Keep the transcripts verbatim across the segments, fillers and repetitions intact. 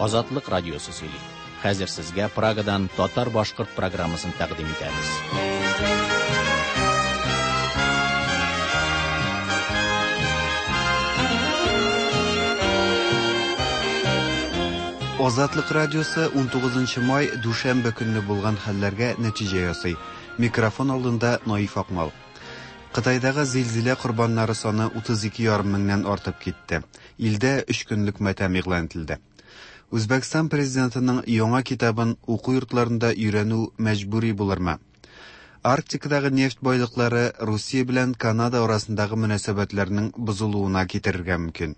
Азатлык радиосы сөйли. Хәзер сезгә Прагадан татар-башкорт программасын тәкъдим итәбез. Азатлык радиосы унтугызынчы май дүшәмбе көнне булган хәлләргә нәтиҗә ясый. Микрофон алдында Наиф Акмал. Кытайдагы зилзилә корбаннары саны утыз ике ярым меңнән артып китте. Илдә өч көнлек матәм игълан ителде. Үзбәкстан президентының яңа китабын уку йортларында өйрәнү мәҗбүри булырмы? Арктикадагы нефть байлыклары Русия белән Канада арасындагы мөнәсәбәтләрнең бозылуына китерергә мөмкин.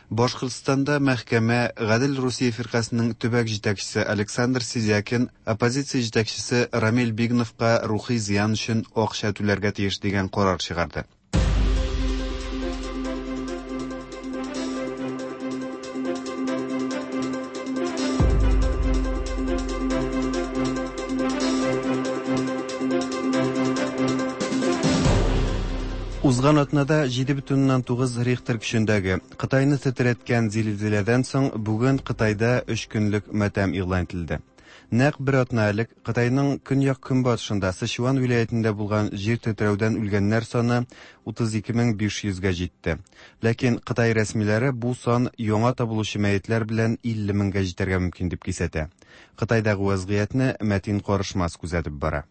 Башкортстанда мәхкәмә Гадел Русия фиркасының төбәк җитәкчесе Александр Сидякин оппозиция җитәкчесе Рамил Бигновка рухи зыян өчен акча түләргә тиеш дигән карар чыгарды. Узган атнада җиде бөтен уннан тугыз Рихтер көчендәге Кытайны тетрәткән зилзиләдән соң бүген Кытайда өч көнлек матәм игълан ителде. Нәкъ бер атна элек Кытайның көньяк-көнбатышында Сычуан вилаятендә булган җир тетрәүдән үлгәннәр саны утыз ике мең биш йөзгә җитте. Ләкин Кытай рәсмиләре бу сан яңа табылучы мәетләр белән илле меңгә җитәргә мөмкин дип кисәтә. Кытайдагы вазгыятьне Мәтин Карышмас күзәтеп бара.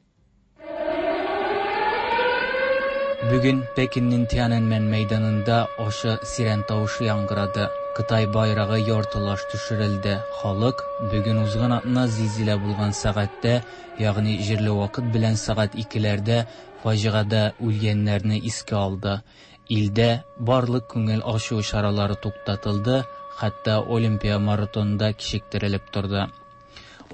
Бүген Пекиннең Тяньаньмэнь мәйданында ачы сирен тавышы яңгырады. Кытай байрагы яртылаш төшерелде. Халык бүген узган атна зилзилә булган сәгатьтә, ягъни җирле вакыт белән сәгать икеләрдә фаҗигадә үлгәннәрне искә алды. Илдә барлык күңел ачу чаралары туктатылды, хәтта Олимпия маратонында кичектерелеп торды.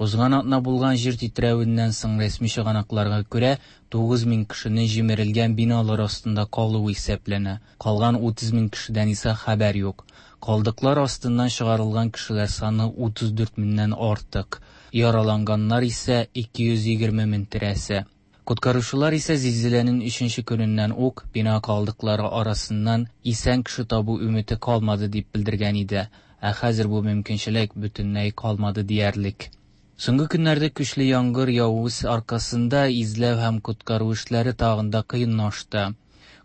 Узган атна булган җир тетрәвеннән соң рәсми чыганакларга күрә тугыз мең кешенең җимерелгән биналар астында калуы исәпләнә. Калган утыз мең кешедән исә хәбәр юк. Калдыклар астыннан чыгарылган кешеләр саны утыз дүрт меңнән артык. Яраланганнар исә ике йөз егерме мең тирәсе. Коткаручылар исә зилзиләнең өченче көненнән үк бина калдыклары арасыннан исән кеше табу өмете калмады дип белдергән иде. Ә хәзер бу мөмкинчелек бөтенләй калмады диярлек. Соңгы көннәрдә көчле яңгыр явуы аркасында изләү һәм коткару эшләре тагын да кыенлашты.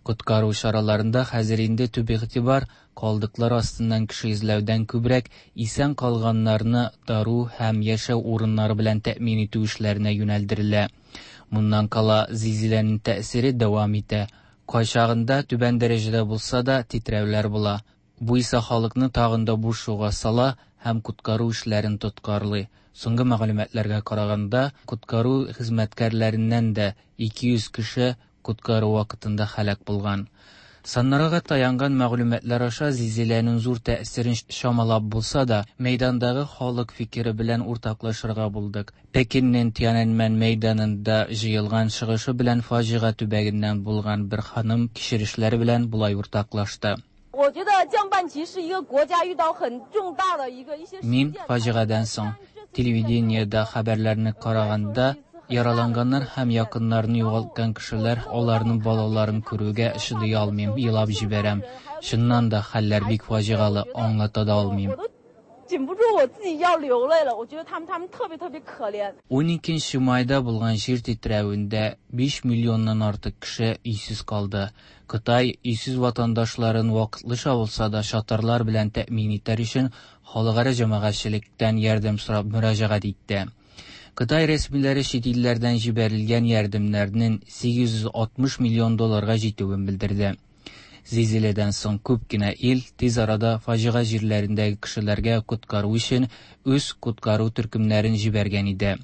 Коткару чараларында хәзер инде төп игътибар калдыклар астыннан кеше эзләүдән күбрәк исән калганнарны дару һәм яшәү урыннары белән тәэмин итү эшләренә юнәлдерелә. Моннан кала зилзиләнең тәэсире дәвам итә. Кайчагында түбән дәрәҗәдә булса да тетрәүләр була. Бу исә халыкны тагын да борчуга сала һәм коткару эшләрен тоткарлый. Соңгы мәгълүматларга караганда, коткару хезмәткәрләреннән дә ике йөз кеше коткару вакытында һәлак булган. Саннарга таянган мәгълүматлар аша зилзиләнең зур тәэсирен чамалап булса да, мәйдандагы халык фикере белән уртаклашырга булдык. Пекиннең Тяньаньмэнь мәйданында җыелган чыгышы белән фаҗига төбәгеннән булган бер ханым кичерешләре белән болай уртаклашты. Мин фаҗигадән соң телевидениедә хәбәрләрне караганда, яраланганнар һәм якыннарын югалткан кешеләр аларның балаларын күрүгә чыдый алмыйм, елап җибәрәм. Чыннан да хәлләр бик фаҗигалы, аңлата да алмыйм. Уникенче майда булган җир тетрәвендә биш миллионнан артык кеше өйсез калды. Кытай өйсез ватандашларын вакытлыча булса да чатырлар белән тәэмин итәр өчен халыкара җәмәгатьчелектән ярдәм сорап мөрәҗәгать итте. Кытай рәсмиләре чит илләрдән җибәрелгән ярдәмнәрнең сигез йөз алтмыш миллион долларга җитүен белдерде. Зилзиләдән соң күп кенә ил тиз арада фаҗига җирләрендәге кешеләргә коткару өчен үз коткару төркемнәрен җибәргән иде.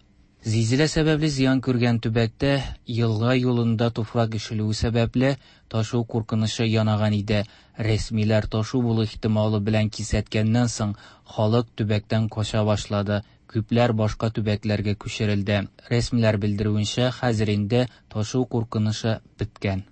Зилзилә сәбәпле зыян күргән төбәктә елга юлында туфрак ишелүе сәбәпле ташу куркынычы янаган иде. Рәсмиләр ташу булу ихтималы белән кисәткәннән соң халык төбәктән кача башлады. Күпләр башка төбәкләргә күчерелде. Рәсмиләр белдерүенчә, хәзер инде ташу куркынычы беткән.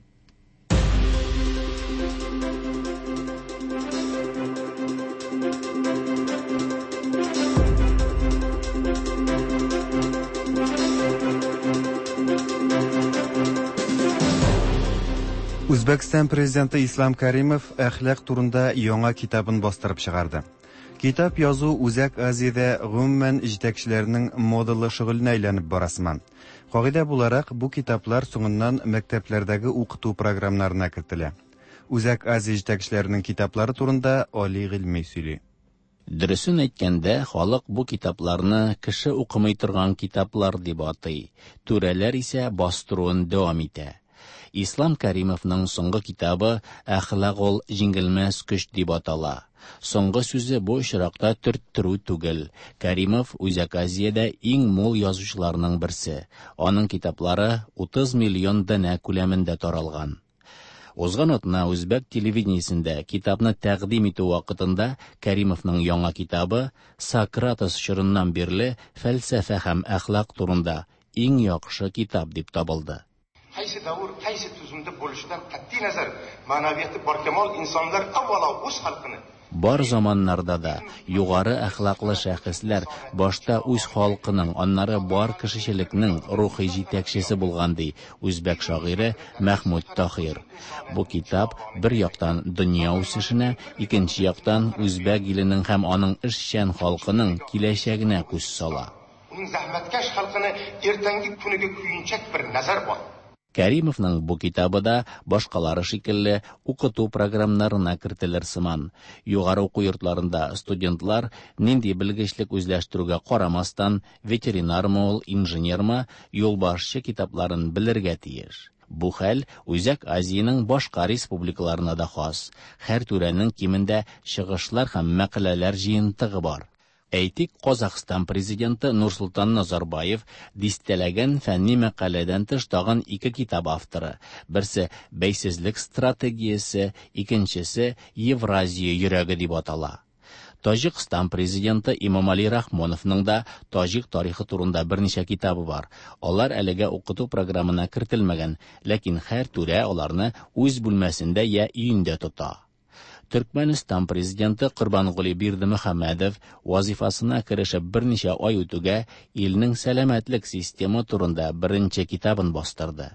Үзбәкстан президенты Ислам Каримов әхлак турында яңа китабын бастырып чыгарды. Китап язу Үзәк Азиядә гомумән җитәкчеләрнең модалы шөгыленә әйләнеп бара сыман. Кагыйдә буларак, бу китаплар соңыннан мәктәпләрдәге укыту програмнарына кертелә. Үзәк Азия җитәкчеләренең китаплары турында Али Гыйльми сөйли. Дөресен әйткәндә, халык бу китапларны кеше укымый торган китаплар дип атый. Түрәләр исә бастыруын дәвам итә. Ислам Каримовның соңгы китабы «Әхлак ул җиңелмәс көч» дип атала. Соңгы сүзе бу очракта төрттерү түгел. Каримов Үзәк Азиядә иң мул язучыларның берсе. Аның китаплары утыз миллион данә күләмендә таралган. Узган атна үзбәк телевидениесендә китапны тәкъдим итү вакытында Каримовның яңа китабы Сократос чорыннан бирле фәлсәфә һәм әхлак турында иң яхшы китап дип табылды. Qaysi davr, qaysi tuzumda bo'lishidan qat'iy nazar ma'naviyati barkamol insonlar avvalo o'z xalqini. Бар заманнарда да югары әхлаклы шәхесләр башта үз халкының, аннары бар кешечелекнең рухи җитәкчесе булган, ди үзбәк шагыйре Мәхмүд Таһир. Бу китап бер яктан дөнья үсешенә, икенче яктан үзбәк иленең һәм аның эшчән халкының киләчәгенә күз сала. Uning zahmatkash xalqini ertangi kuniga kuyunchak bir nazar bor. Каримовның бу китабы да башкалары шикелле укыту програмнарына кертелер сыман. Югары уку йортларында студентлар нинди белгечлек үзләштерүгә карамастан, ветеринармы ул, инженермы, юлбашчы китапларын белергә тиеш. Бу хәл Үзәк Азиянең башка республикаларына да хас. Һәр түрәнең кимендә чыгышлар һәм мәкаләләр җыентыгы бар. Әйтик, Казахстан президенты Нурсултан Назарбаев дистәләгән фәнни мәкаләдән тыш тагын ике китап авторы. Берсе «Бәйсезлек стратегиясе», икенчесе «Евразия йөрәге» дип атала. Таҗикстан президенты Имомали Рахмоновның да таҗик тарихы турында берничә китабы бар. Алар әлегә укыту програмына кертелмәгән, ләкин һәр түрә аларны үз бүлмәсендә я өендә тота. Төркмәнстан президенты Корбангули Бердымөхәммәдов вазифасына керешеп берничә ай үтүгә илнең сәламәтлек системы турында беренче китабын бастырды.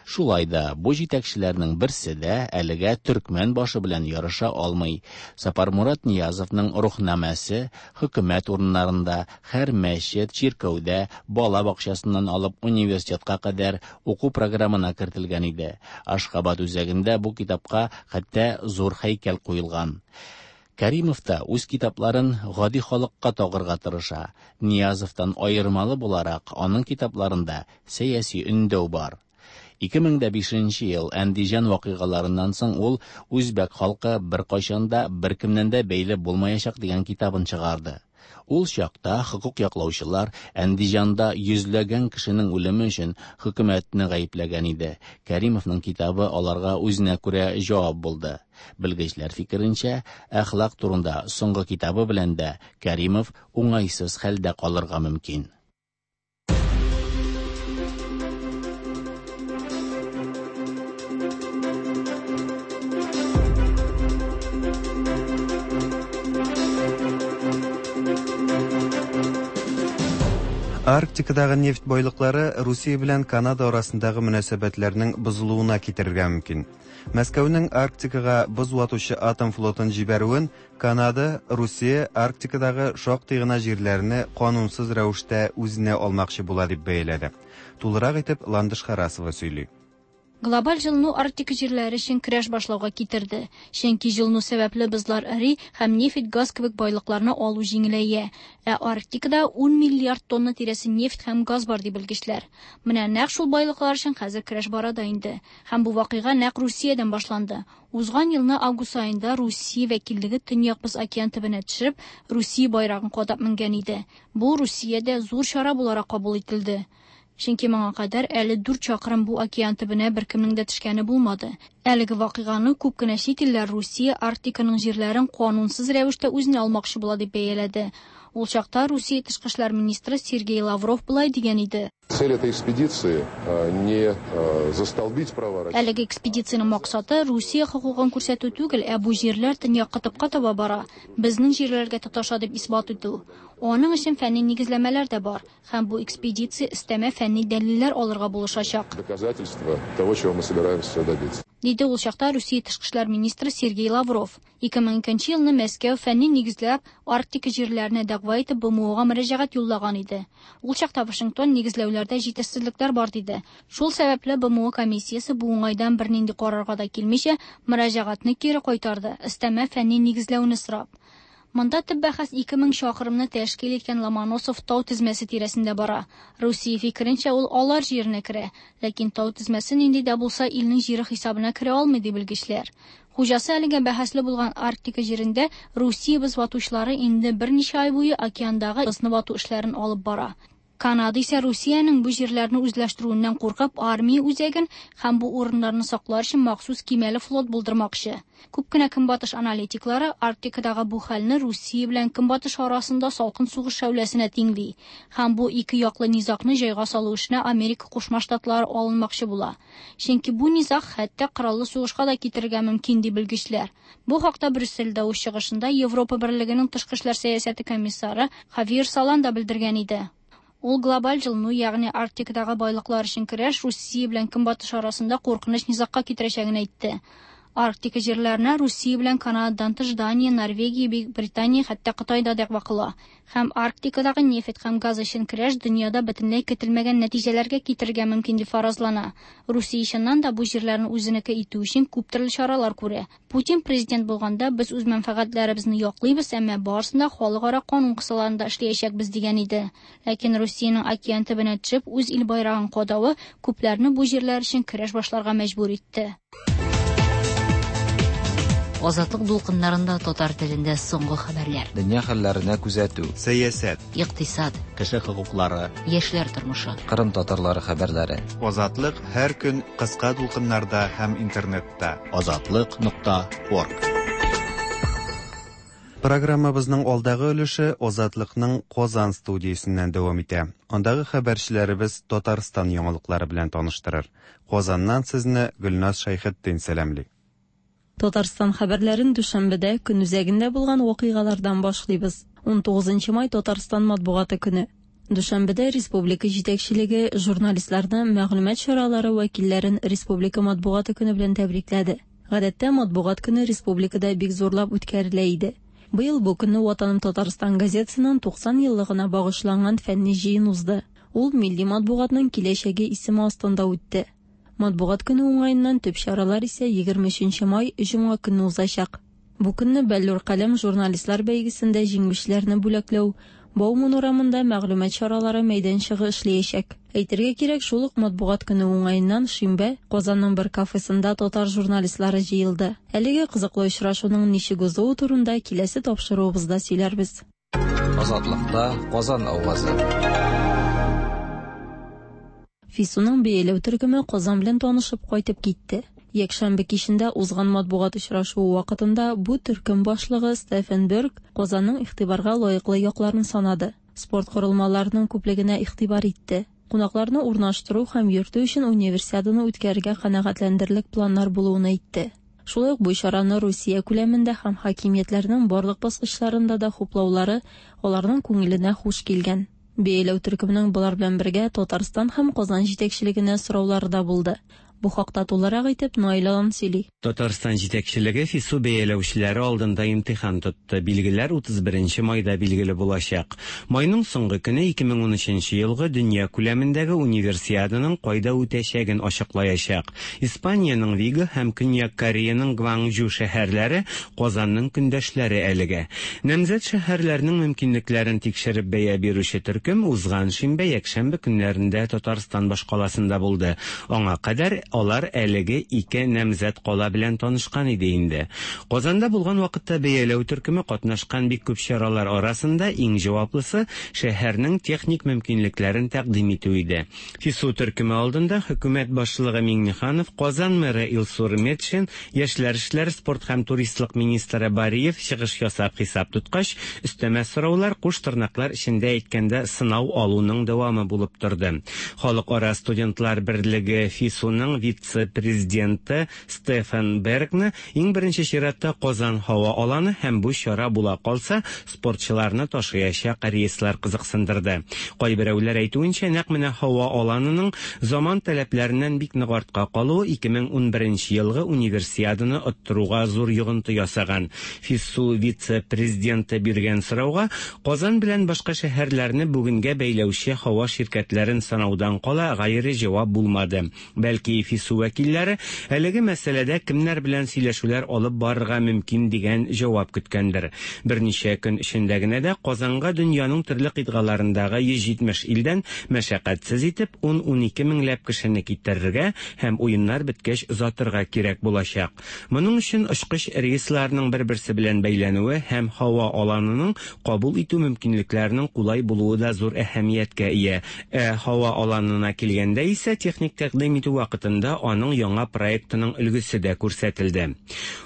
Шулай да бу җитәкчеләрнең берсе дә әлегә төркмән башы белән ярыша алмый. Сапармурат Ниязовның рухнамәсе хөкүмәт урыннарында, һәр мәчет, чиркәүдә, бала бакчасыннан алып университетка кадәр уку програмына кертелгән иде. Ашхабад үзәгендә бу китапка хәтта зур һәйкәл куелган. Каримов та үз китапларын гади халыкка тагырга тырыша. Ниязовтан аермалы буларак, аның китапларында сәяси өндәү бар. ике мең дә бишенче ел Әндиҗан вакыйгаларыннан соң ул үзбәк халкы бер кайчан да беркемнән дә бәйле булмаячак дигән китабын чыгарды. Ул чакта хокук яклаучылар Әндиҗанда йөзләгән кешенең үлеме өчен хөкүмәтне гаепләгән иде. Каримовның китабы аларга үзенә күрә җавап булды. Белгечләр фикеренчә, әхлак турында соңгы китабы белән дә Каримов уңайсыз хәлдә калырга мөмкин. Арктикадагы нефть байлыклары Русия белән Канада арасындагы мөнәсәбәтләрнең бозылуына китерергә мөмкин. Мәскәүнең Арктикага боз ватучы атом флотын җибәрүен Канада, Русия Арктикадагы шактый гына җирләрне канунсыз рәвештә үзенә алмакчы була дип бәяләде. Тулырак итеп Ландыш Харасова сөйли. Глобаль җылыну Арктика җирләре өчен көрәш башлауга китерде. Чөнки җылыну сәбәпле бозлар эри һәм нефть, газ кебек байлыкларны алу җиңеләя. Ә Арктикада ун миллиард тонна тирәсе нефть һәм газ бар дип белгечләр. Менә нәкъ шул байлыклар өчен хәзер көрәш бара да инде. Һәм бу вакыйга нәкъ Русиядән башланды. Узган елны август аенда Русия вәкиллеге Төньяк Боз океан төбенә төшереп, Русия байрагын кадап менгән иде. Бу Русиядә зур чара буларак кабул ителде. Чөнки моңа кадәр әле дүрт чакрым бу океан төбенә беркемнең дә төшкәне булмады. Әлеге вакыйганы күп кенә чит илләр Русия Арктиканың җирләрен канунсыз рәвештә үзенә алмакчы була дип бәяләде. Ул чакта Русия тышкы эшләр министры Сергей Лавров болай дигән иде. Цель этой экспедиции не застолбить права России. Әлеге экспедициянең максаты Русия хокукын күрсәтү түгел, ә бу җирләр төньяк кытыпка таба бара, безнең җирләргә тоташа дип исбат итү. Аның өчен фәнни нигезләмәләр дә бар, һәм бу экспедиция өстәмә фәнни дәлилләр алырга булышачак. Доказательства того, чего мы собираемся добиться. Диде ул чакта Русия тышкы эшләр министры Сергей Лавров. ике мең икенче елны Мәскәү фәнни нигезләп Арктика җирләренә дәгъва итеп БМОга мөрәҗәгать юллаган иде. Ул чакта Вашингтон нигезләүләрдә җитешсезлекләр бар диде. Шул сәбәпле БМО комиссиясе бу уңайдан бернинди карарга да килмичә мөрәҗәгатьне кире кайтарды, өстәмә фәнни нигезләүне сорап. Монда төп бәхәс ике мең чакрымны тәшкил иткән Ломоносов тау тезмәсе тирәсендә бара. Русия фикеренчә, ул алар җиренә керә, ләкин тау тезмәсе нинди дә булса илнең җире хисабына керә алмый ди белгечләр. Хуҗасы әлегә бәхәсле булган Арктика җирендә Русия боз ватучылары инде берничә ай буе океандагы бозны вату эшләрен алып бара. Канада исә Русиянең бу җирләрне үзләштерүеннән куркып, армия үзәген һәм бу урыннарны саклар өчен махсус кимәле флот булдырмакчы. Күп кенә көнбатыш аналитиклары Арктикадагы бу хәлне Русия белән көнбатыш арасында салкын сугыш шәүләсенә тиңли һәм бу ике яклы низагны җайга салу эшенә Америка Кушма Штатлары алынмакчы була. Чөнки бу низаг хәтта кораллы сугышка да китерергә мөмкин ди белгечләр. Бу хакта Брюссельдә үз чыгышында Европа Берлегенең тышкы эшләр сәясәте комиссары Хавьер Солана белдергән иде. Ул глобаль җылыну, ягъни Арктикадагы байлыклар өчен көрәш Русия белән Көнбатыш арасында куркыныч низагка китерәчәген әйтте. Арктика җирләренә Русия белән Канададан тыш Дания, Норвегия, Бөек Британия, хәтта Кытай да дәгъва кыла. Һәм Арктикадагы нефть һәм газ өчен көрәш дөньяда бөтенләй көтелмәгән нәтиҗәләргә китерергә мөмкин дип фаразлана. Русия чыннан да бу җирләрне үзенеке итү өчен күп төрле чаралар күрә. Путин президент булганда без үз мәнфәгатьләребезне яклыйбыз, әмма барысын да халыкара канун кысаларында эшләячәкбез дигән иде. Ләкин Русиянең океан төбенә төшеп үз ил байрагын кадавы күпләрне бу җирләр өчен көрәш башларга мәҗбүр итте. Азатлык дулкыннарында татар телендә соңгы хәбәрләр. Дөнья хәлләренә күзәтү. Сәясәт. Икътисад. Кеше хокуклары. Яшьләр тормышы. Кырым татарлары хәбәрләре. Азатлык һәр көн кыска дулкыннарда һәм интернетта. Азатлык нокта орг. Программабызның алдагы өлеше Азатлыкның Казан студиясеннән дәвам итә. Андагы хәбәрчеләребез Татарстан яңалыклары белән таныштырыр. Казаннан сезне Гөлназ Шәйхетдин сәламли. Татарстан хәбәрләрен дүшәмбедә көн үзәгендә булган вакыйгалардан башлыйбыз. унтугызынчы май Татарстан матбугаты көне. Дүшәмбедә республика җитәкчелеге журналистларны, мәгълүмат чаралары вәкилләрен республика матбугаты көне белән тәбрикләде. Гадәттә матбугат көне республикада бик зурлап үткәрелә иде. Быел бу көнне Ватаным Татарстан газетасының туксан еллыгына багышланган фәнни җыен узды. Ул милли матбугатның киләчәге исеме астында үтте. Матбугат көне уңаеннан төп чаралар исә егерме өченче май җомга көнне узачак. Бу көнне Бәллүр каләм журналистлар бәйгесендә җиңүчеләрне бүләкләү, Бауман урамында мәгълүмат чаралары мәйданчыгы эшләячәк. Әйтергә кирәк, шул ук матбугат көне уңаеннан шимбә Казанның бер кафесында татар журналистлары җыелды. Әлеге кызыклы очрашуның ничек узуы турында киләсе тапшыруыбызда сөйләрбез. Азатлыкта Казан авазы. ФИСУның бәяләү төркеме Казан белән танышып кайтып китте. Якшәмбе кичендә узган матбугат очрашуы вакытында бу төркем башлыгы Стефан Берг Казанның игътибарга лаеклы якларын санады. Спорт корылмаларының күплегенә игътибар итте. Кунакларны урнаштыру һәм йөртү өчен универсиаданы үткәрергә канәгатьләндерерлек планнар булуын әйтте. Шулай ук бу чараны Русия күләмендә һәм хакимиятләрнең барлык баскычларында да хуплаулары аларның күңеленә хуш килгән. Бәяләү төркеменең болар белән бергә Татарстан һәм Казан җитәкчелегенә сораулары да булды. Бу хакта тулырак итеп Наил Алан сөйли. Татарстан җитәкчелеге ФИСУ бәяләүчеләре алдында имтихан тотты. Билгеләр утыз беренче майда билгеле булачак. Майның соңгы көне ике мең унөченче елгы дөнья күләмендәге универсиаданың кайда үтәчәген ачыклаячак. Испаниянең Виго һәм Көньяк Кореяның Гванчжу шәһәрләре Казанның көндәшләре әлегә. Намзәт шәһәрләрнең мөмкинлекләрен тикшереп бәя бирүче төркем узган шимбә, якшәмбе көннәрендә Татарстан башкаласында булды. Аңа кадәр алар әлеге ике намзәт кала белән танышкан иде инде. Казанда булган вакытта бәяләү төркеме катнашкан бик күп чаралар арасында иң җаваплысы шәһәрнең техник мөмкинлекләрен тәкъдим итү иде. ФИСУ төркеме алдында хөкүмәт башлыгы Миңнеханов, Казан мэры Илсур Метшин, яшьләр эшләре, спорт һәм туристлык министры Бариев чыгыш ясап хисап тоткач, өстәмә сораулар куш тырнаклар эчендә әйткәндә сынау алуның дәвамы булып торды. Халыкара студентлар берлеге ФИСУның вице-президенты Стефан Бергны иң беренче чиратта Казан һава аланы һәм бу чара була калса, спортчыларны ташыячак рейслар кызыксындырды. Кайберәүләр әйтүенчә, нәкъ менә һава аланының заман таләпләреннән бик нык артка калуы ике мең унберенче елгы универсиаданы оттыруга зур йогынты ясаган. ФИСУ вице-президенты биргән сорауга Казан белән башка шәһәрләрне бүгенгә бәйләүче һава ширкәтләрен санаудан кала гайре җавап булмады. Бәлки ФИСУ вәкилләре әлеге мәсьәләдә кемнәр белән сөйләшүләр алып барырга мөмкин дигән җавап көткәндер. Берничә көн эчендә генә дә Казанга дөньяның төрле кыйтгаларындагы йөз җитмеш илдән мәшәкатьсез итеп ун-унике меңләп кешене китерергә һәм уеннар беткәч озатырга кирәк булачак. Моның өчен очкыч рейсларының бер-берсе белән бәйләнүе һәм һава аланының кабул итү мөмкинлекләренең кулай булуы да зур әһәмияткә ия. Ә һава аланына килгәндә исә техник тәкъдим итү вакытында аның яңа проектының өлгесе дә күрсәтелде.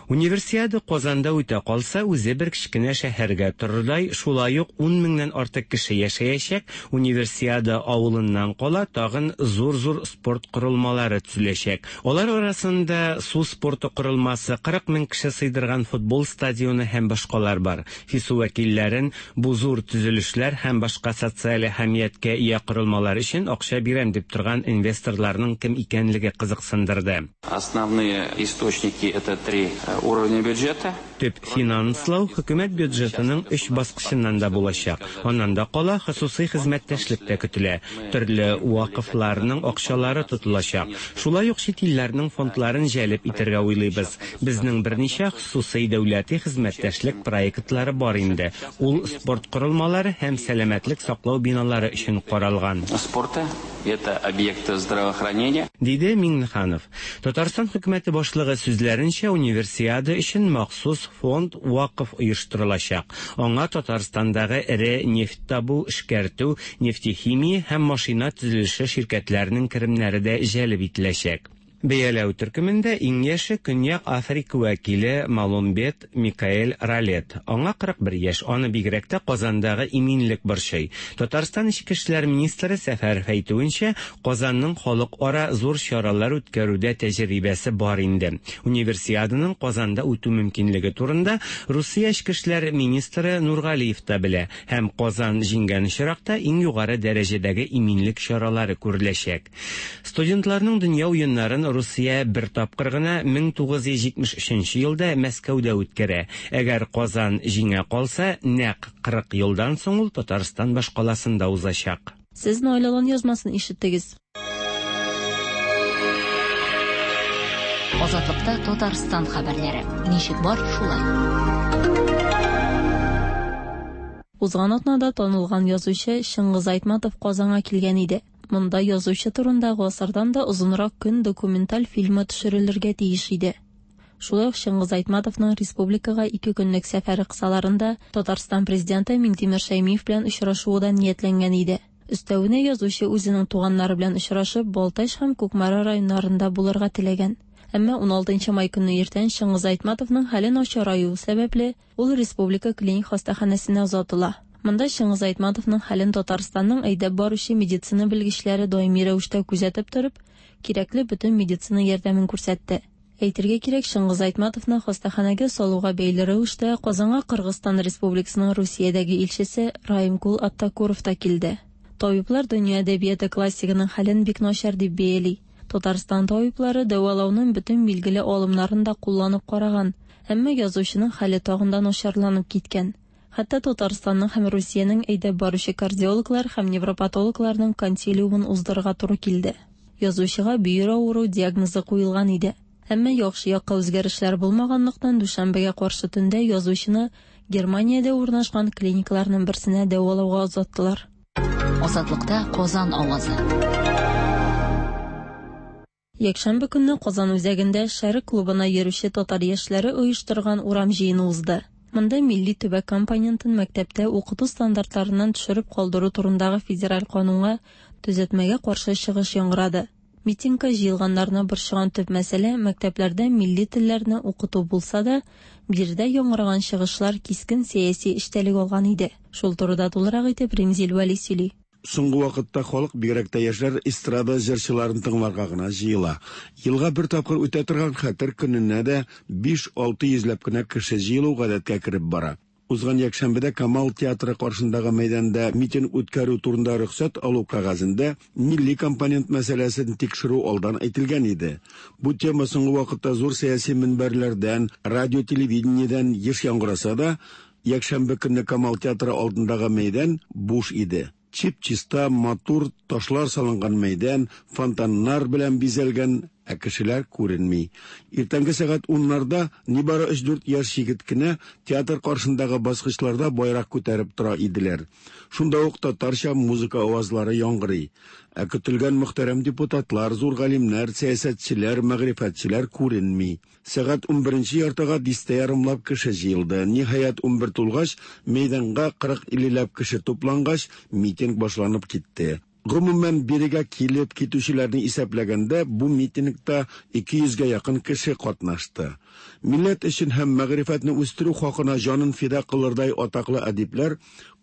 Универсиада Казанда үтә калса, үзе бер кечкенә шәһәргә торырдай, шулай ук ун меңнән артык кеше яшәячәк. Универсиада авылыннан кала тагын зур-зур спорт корылмалары төзеләчәк. Алар арасында су спорты корылмасы, кырык мең кеше сыйдырган футбол стадионы һәм башкалар бар. ФИСУ вәкилләрен бу зур төзелешләр һәм башка социаль әһәмияткә ия корылмалар өчен акча бирәм дип торган инвесторларның кем икәнлеге кызыксындырды. Основные источники это три уровня бюджета. Төп финанслау хөкүмәт бюджетының өч баскычыннан да булачак. Аннан да кала хосусый хезмәттәшлек тә көтелә. Төрле вакыфларның акчалары тотылачак. Шулай ук чит илләрнең фондларын җәлеп итәргә уйлыйбыз. Безнең берничә хосусый дәүләти хезмәттәшлек проектлары бар инде. Ул спорт корылмалары һәм сәламәтлек саклау биналары өчен каралган. Спорта это объекты здравоохранения, диде Миңнеханов. Татарстан хөкүмәте башлыгы сүзләренчә, универсиада өчен махсус фонд вакыф оештырылачак. Аңа Татарстандагы эре нефть табу, эшкәртү, нефтехимия һәм машина төзелеше ширкәтләренең керемнәре дә җәлеп ителәчәк. Бәяләү төркемендә иң яше Көньяк Африка вәкиле Маломбет Микаэль Ралет. Аңа кырык бер яшь, аны бигрәк тә Казандагы иминлек борчый. Татарстан эчке эшләр министры Сәфәров әйтүенчә, Казанның халыкара зур чаралар үткәрүдә тәҗрибәсе бар инде. Универсиаданың Казанда үтү мөмкинлеге турында Русия эчке эшләр министры Нургалиев та белә һәм Казан җиңгән очракта иң югары дәрәҗәдәге иминлек чаралары күреләчәк. Студентларның дөнья уеннарын Русия бер тапкыр гына мең тугыз йөз җитмеш өченче елда Мәскәүдә үткәрә. Әгәр Казан җиңә калса, нәкъ кырык елдан соң ул Татарстан башкаласында узачак. Сез Наилалан язмасын ишеттегез. Азатлыкта Татарстан хәбәрләре. Ничек бар, шулай. Узган атнада танылган язучы Чыңгыз Айтматов Казанга килгән иде. Монда язучы турында гасырдан да озынрак көн документаль фильмы төшерелергә тиеш иде. Шулай ук Чыңгыз Айтматовның республикага ике көнлек сәфәре кысаларында Татарстан президенты Миңтимер Шәймиев белән очрашуы да ниятләнгән иде. Өстәвенә язучы үзенең туганнары белән очрашып, Балтач һәм Кукмара районнарында булырга теләгән. Әмма уналтынчы май көнне иртән Чыңгыз Айтматовның хәле начараюы сәбәпле, ул республика клиник хастаханәсенә озатыла. Монда Чыңгыз Айтматовның хәлен Татарстанның әйдәп баручы медицина белгечләре даими рәвештә күзәтеп торып, кирәкле бөтен медицина ярдәмен күрсәтте. Әйтергә кирәк, Чыңгыз Айтматовны хастаханәгә салуга бәйле рәвештә Казанга Кыргызстан Республикасының Русиядәге илчесе Раимкул Аттакуров та килде. Табиблар дөнья әдәбияты классигының хәлен бик начар дип бәяли. Татарстан табиблары дәвалауның бөтен билгеле алымнарын да кулланып караган, әмма язучының хәле тагын да начарланып киткән. Хәтта Татарстанның һәм Русиянең әйдәп баручы кардиологлар һәм невропатологларның консилиумын уздырырга туры килде. Язучыга бөер авыру диагнозы куелган иде. Әмма яхшы якка үзгәрешләр булмаганлыктан дүшәмбегә каршы төндә язучыны Германиядә урнашкан клиникаларның берсенә дәвалауга озаттылар. Азатлыкта Казан авазы. Якшәмбе көнне Казан үзәгендә Шәрык клубына йөрүче татар яшьләре оештырган урам җыены узды. Монда милли төбәк компонентын мәктәптә укыту стандартларыннан төшереп калдыру турындагы федераль канунга төзәтмәгә каршы чыгыш яңгырады. Митингка җыелганнарны борчыган төп мәсьәлә мәктәпләрдә милли телләрне укыту булса да, биредә яңгыраган чыгышлар кискен сәяси эчтәлек алган иде. Шул турыда тулырак итеп Римзил Вәли сөйли. Соңгы вакытта халык, бигрәк тә яшьләр, эстрада җырчыларын тыңларга гына җыела. Елга бер тапкыр үтә торган Хәтер көненә дә биш-алты йөзләп кенә кеше җыелу гадәткә кереп бара. Узган якшәмбедә Камал театры каршындагы мәйданда митинг үткәрү турында рөхсәт алу кәгазендә милли компонент мәсьәләсен тикшерү алдан әйтелгән иде. Бу тема соңгы вакытта зур сәяси мөнбәрләрдән, радио, телевидениедән еш яңгыраса да, якшәмбе көнне Камал театры алдындагы мәйдан буш иде. Чип-чиста, матур ташлар салынган мәйдан, фонтаннар белән бизәлгән, ә кешеләр күренми. Иртәнге сәгать уннарда нибары өч-дүрт яшь егет кенә театр каршындагы баскычларда байрак күтәреп тора иделәр. Шунда ук татарча музыка авазлары яңгырый. Ә көтелгән мөхтәрәм депутатлар, зур галимнәр, сәясәтчеләр, мәгърифәтчеләр күренми. Сәгать унберенче яртыга дистә ярымлап кеше җыелды. Ниһаять, унбер тулгач, мәйданга кырык-иллеләп кеше туплангач, митинг башланып китте. Гомумән, бирегә килеп китүчеләрне исәпләгәндә, бу митингта ике йөзгә якын кеше катнашты. Милләт өчен һәм мәгърифәтне үстерү хакына җанын фида кылырдай атаклы әдипләр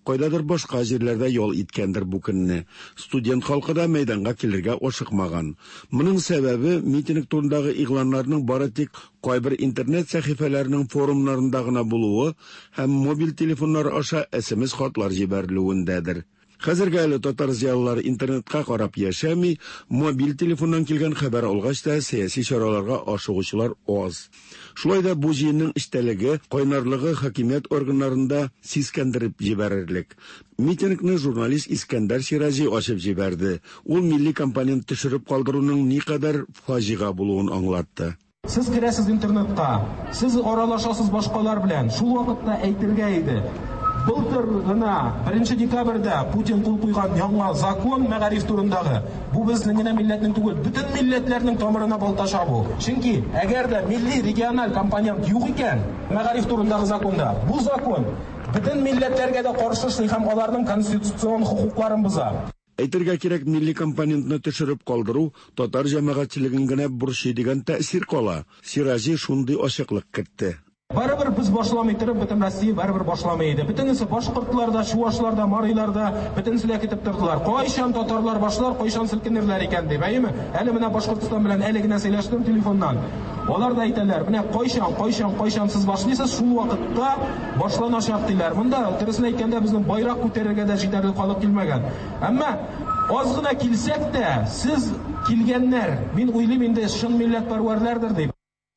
кайдадыр башка җирләрдә ял иткәндер бу көнне. Студент халкы да мәйданга килергә ашыкмаган. Моның сәбәбе митинг турындагы игъланнарның бары тик кайбер интернет сәхифәләренең форумнарында гына булуы һәм мобиль телефоннар аша эс эм эс хатлар җибәрелүендәдер. Хәзергә әле татар зыялылары интернетка карап яшәми, мобиль телефоннан килгән хәбәр алгач та сәяси чараларга ашыгучылар аз. Шулай да бу җыенның эчтәлеге, кайнарлыгы хакимият органнарында сискәндереп җибәрерлек. Митингны журналист Искәндәр Сираҗи ачып җибәрде. Ул милли компонент төшереп калдыруның никадәр фаҗига булуын аңлатты. Сез керәсез интернетка, сез аралашасыз башкалар белән. Шул вакытта әйтергә иде. Былтыр гына беренче декабрьдә Путин кул куйган яңа закон мәгариф турындагы. Бу безнең генә милләтнең түгел, бөтен милләтләрнең тамырына балта чабу. Чөнки әгәр дә милли региональ компонент юк икән мәгариф турындагы законда, бу закон бөтен милләтләргә дә каршы эшли һәм аларның конституцион хокукларын боза. Әйтергә кирәк, милли компонентны төшереп калдыру татар җәмәгатьчелеген генә борчый дигән тәэсир кала. Сираҗи шундый ачыклык кертте. Барыбер без башламый торып, бөтен Россия барыбер башламый иде. Бөтенесе башкортлар да, чувашлар да, марилар да, бөтенесе дә китеп тордылар. Кайчан татарлар башлар, кайчан селкенерләр икән дип, әйеме? Әле менә Башкортстан белән әле генә сөйләштем телефоннан. Алар да әйтәләр, менә кайчан, кайчан, кайчан сез башлыйсыз, шул вакытта башланачак диләр. Монда дөресен әйткәндә безнең байрак күтәрергә дә җитәрлек халык килмәгән. Әмма аз гына килсәк тә, сез килгәннәр, мин уйлыйм инде чын милләтпәрвәрләрдер дип.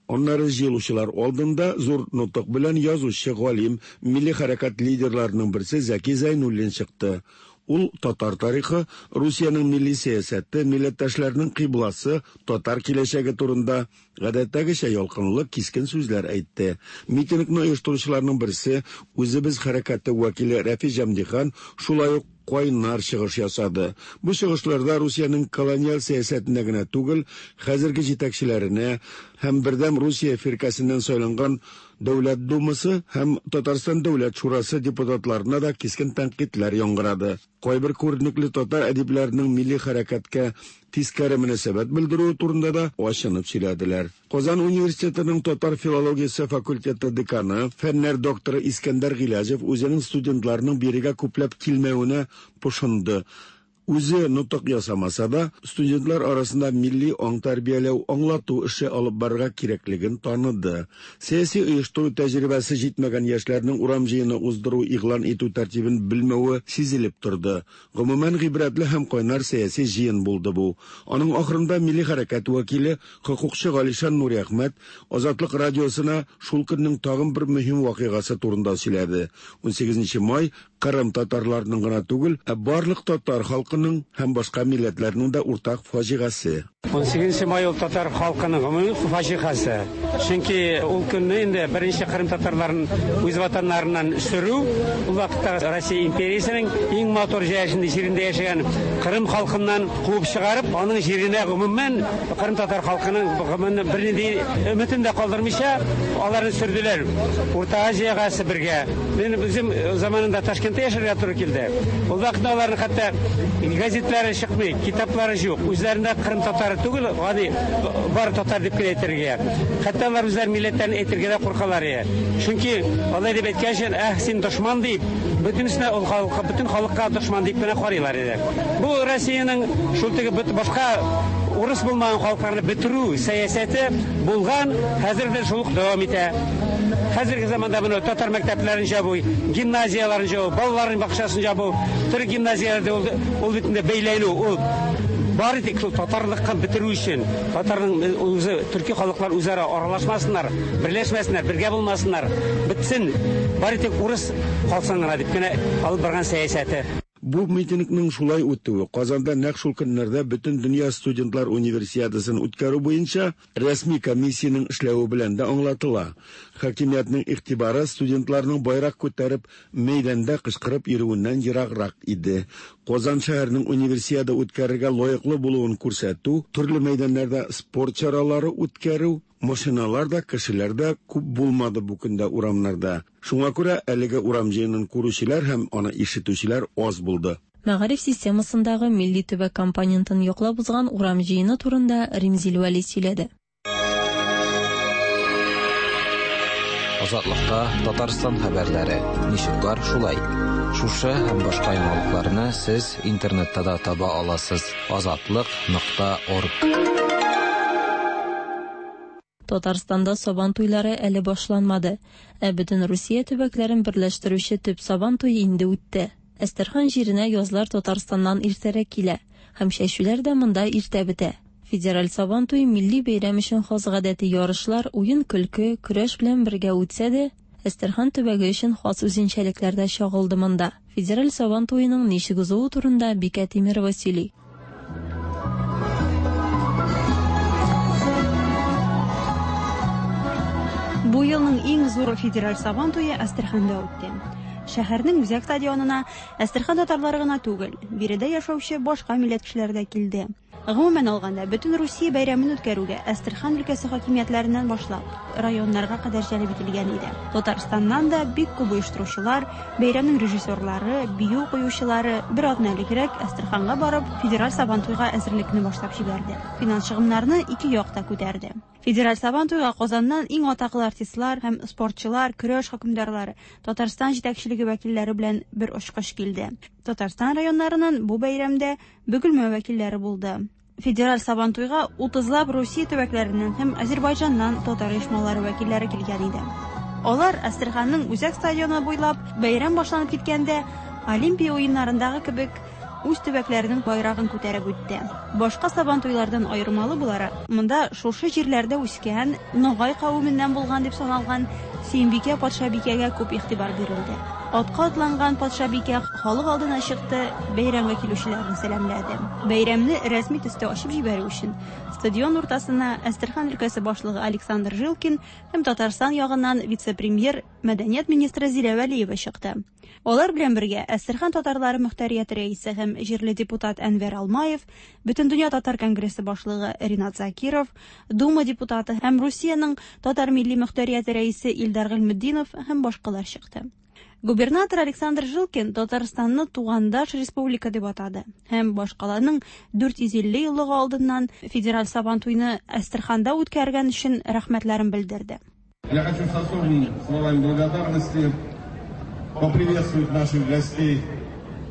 Аннары җыелучылар алдында зур нотык белән язучы, галим, милли хәрәкәт лидерларының берсе Зәки Зәйнуллин чыкты. Ул татар тарихы, Русиянең милли сәясәте, милләттәшләрнең кыйбласы, татар киләчәге турында гадәттәгечә ялкынлы, кискен сүзләр әйтте. Митингны оештыручыларның берсе, Үзебез хәрәкәте вәкиле Рәфи Җәмдихан шулай ук кайнар чыгыш ясады. Бу чыгышларда Русиянең колониаль сәясәтенә генә түгел, хәзерге җитәкчеләренә һәм Бердәм Русия фиркәсеннән сайланган Дәүләт Думасы һәм Татарстан Дәүләт Шурасы депутатларына да кискен тәнкыйтьләр яңгырады. Кайбер күренекле татар әдипләренең милли хәрәкәткә тискәре мөнәсәбәт белдерүе турында да ачынып сөйләделәр. Казан университетының татар филологиясе факультеты деканы, фәннәр докторы Искәндәр Гыйләҗев үзенең студентларының бирегә күпләп килмәвенә пошынды. Үзе нотык ясамаса да, студентлар арасында милли аң тәрбияләү, аңлату эше алып барырга кирәклеген таныды. Сәяси оештыру тәҗрибәсе җитмәгән яшьләрнең урам җыены уздыру игълан итү тәртибен белмәве сизелеп торды. Гомумән, гыйбрәтле һәм кайнар сәяси җыен булды бу. Аның ахырында милли хәрәкәт вәкиле, хокукчы Галишан Нуриәхмәт Азатлык радиосына шул көннең тагын бер мөһим вакыйгасы турында сөйләде. Унсигезенче май Кырым татарларының гына түгел, ә барлык татар халкының һәм башка милләтләрнең дә уртак фаҗигасе. Унсигезенче май ул татар халкының гомуми фаҗигасе. Чөнки ул көнне инде беренче Кырым татарларын үз ватаннарыннан сөрү, ул вакытта Россия империясенең иң матур җирендә яшәгән Кырым халкыннан куып чыгарып, аның җиренә гомумән Кырым татар халкының гомумән бернинди өметен дә калдырмыйча, аларны сөрделәр. Урта Азиягә, Себергә. Мин үзем заманында Ташкентта яшәргә туры килде. Ул вакытта аларның хәтта газетлары чыкмый, китаплары юк. Үзләрендә Кырым татары түгел, гади бар татар дип кенә әйтергә. Хәтта алар үзләре милләтләрен әйтергә дә куркалар. Чөнки алай дип әйткән өчен, әх, син дошман дип, бөтенесенә ул халыкка, бөтен халыкка дошман дип кенә карыйлар иде. Бу Россиянең шул теге башка урыс булмаган халыкларны бетерү сәясәте булган, хәзер дә шул ук дәвам итә. Хәзерге заманда моны татар мәктәпләрен җабу, гимназияләрен җабу, балаларның бакчасын җабу, төрек гимназияләрдә ул, ул бит инде бәйләнү, ул бары тик шул татарлыкка бетерү өчен, татарның үзе, төрки халыклар үзара аралашмасыннар, берләшмәсеннәр, бергә булмасыннар, бетсен, бары тик урыс калсын гына дип кенә алып барган сәясәте. Бу митингның шулай үтүе Казанда нәкъ шул көннәрдә бөтен дөнья студентлар универсиадасын үткәрү буенча рәсми комиссиянең эшләве белән дә аңлатыла. Хакимиятнең игътибары студентларның байрак күтәреп мәйданда кычкырып йөрүеннән ераграк иде. Казан шәһәренең универсиада үткәрергә лаеклы булуын күрсәтү, төрле мәйданнарда спорт чаралары үткәрү, машиналар да, кешеләр дә күп булмады бу көндә урамнарда. Шуңа күрә әлеге урам җыенын күрүчеләр һәм аны ишетүчеләр аз булды. Мәгариф системасындагы милли төбәк компонентын яклап узган урам җыены турында Римзил Вәли сөйләде. Азатлыкта Татарстан хәбәрләре. Ничек бар шулай. Шушы һәм башка яңалыкларны сез интернетта да таба аласыз. азатлык нокта орг. Татарстанда сабан туйлары әле башланмады. Ә бөтен Русия төбәкләрен берләштерүче төп сабан туе инде үтте. Әстерхан җиренә язлар Татарстаннан иртәрәк килә һәм чәчүләр дә монда иртә бетә. Федераль сабан туе милли бәйрәм өчен хас гадәти ярышлар, уен-көлке, көрәш белән бергә үтсә дә, Әстерхан төбәге өчен хас үзенчәлекләр дә чагылды монда. Федераль сабан туеның ничек узуы турында Бикә Тимирова сөйли. Бу елның иң зур федераль сабан туе Әстерханда үтте. Шәһәрнең үзәк стадионына Әстерхан татарлары гына түгел, биредә яшәүче башка милләт кешеләре дә килде. Гомумән алганда, бөтен Русия бәйрәмен үткәрүгә Әстерхан өлкәсе хакимиятләреннән башлап районнарга кадәр җәлеп ителгән иде. Татарстаннан да бик күп оештыручылар, бәйрәмнең режиссерлары, бию куючылары бер атна элегрәк Әстерханга барып, федераль сабантуйга әзерлекне башлап җибәрде. Финанс чыгымнарны ике як та күтәрде. Федераль сабантуйга Казаннан иң атаклы артистлар һәм спортчылар, көрәш хөкемдарлары, Татарстан җитәкчелеге вәкилләре белән бер очкыч килде. Татарстан районнарыннан бу бәйрәмдә Бөгелмә вәкилләре булды. Федераль сабантуйга утызлап Русия төбәкләреннән һәм Азербайҗаннан татар оешмалары вәкилләре килгән иде. Алар Әстерханның үзәк стадионы буйлап бәйрәм башланып киткәндә Олимпия уеннарындагы кебек үз төбәкләренең байрагын күтәреп үтте. Башка сабантуйлардан аермалы буларак, монда шушы җирләрдә үскән, Ногай кавеменнән булган дип саналган Сөембикә патшабикәгә күп игътибар бирелде. Атка атланган патшабикә халык алдына чыкты, бәйрәмгә килүчеләрне сәламләде. Бәйрәмне рәсми төстә ачып җибәрү өчен стадион уртасына Әстерхан өлкәсе башлыгы Александр Жилкин һәм Татарстан ягыннан вице-премьер, мәдәният министры Зилә Вәлиева чыкты. Алар белән бергә Әстерхан татарлары мөхтәрияте рәисе һәм җирле депутат Әнвәр Алмаев, Бөтендөнья татар конгрессы башлыгы Ринат Закиров, Дума депутаты һәм Русиянең татар милли мөхтәрияте рәисе Илдар Гыйльметдинов һәм башкалар чыкты. Губернатор Александр Жилкин Татарстанны тугандаш республика дип атады һәм башкаланың дүрт йөз илле еллыгы алдыннан федераль сабантуйны Әстерханда үткәргән өчен рәхмәтләрен белдерде. Я хочу с особыми словами благодарности поприветствовать наших гостей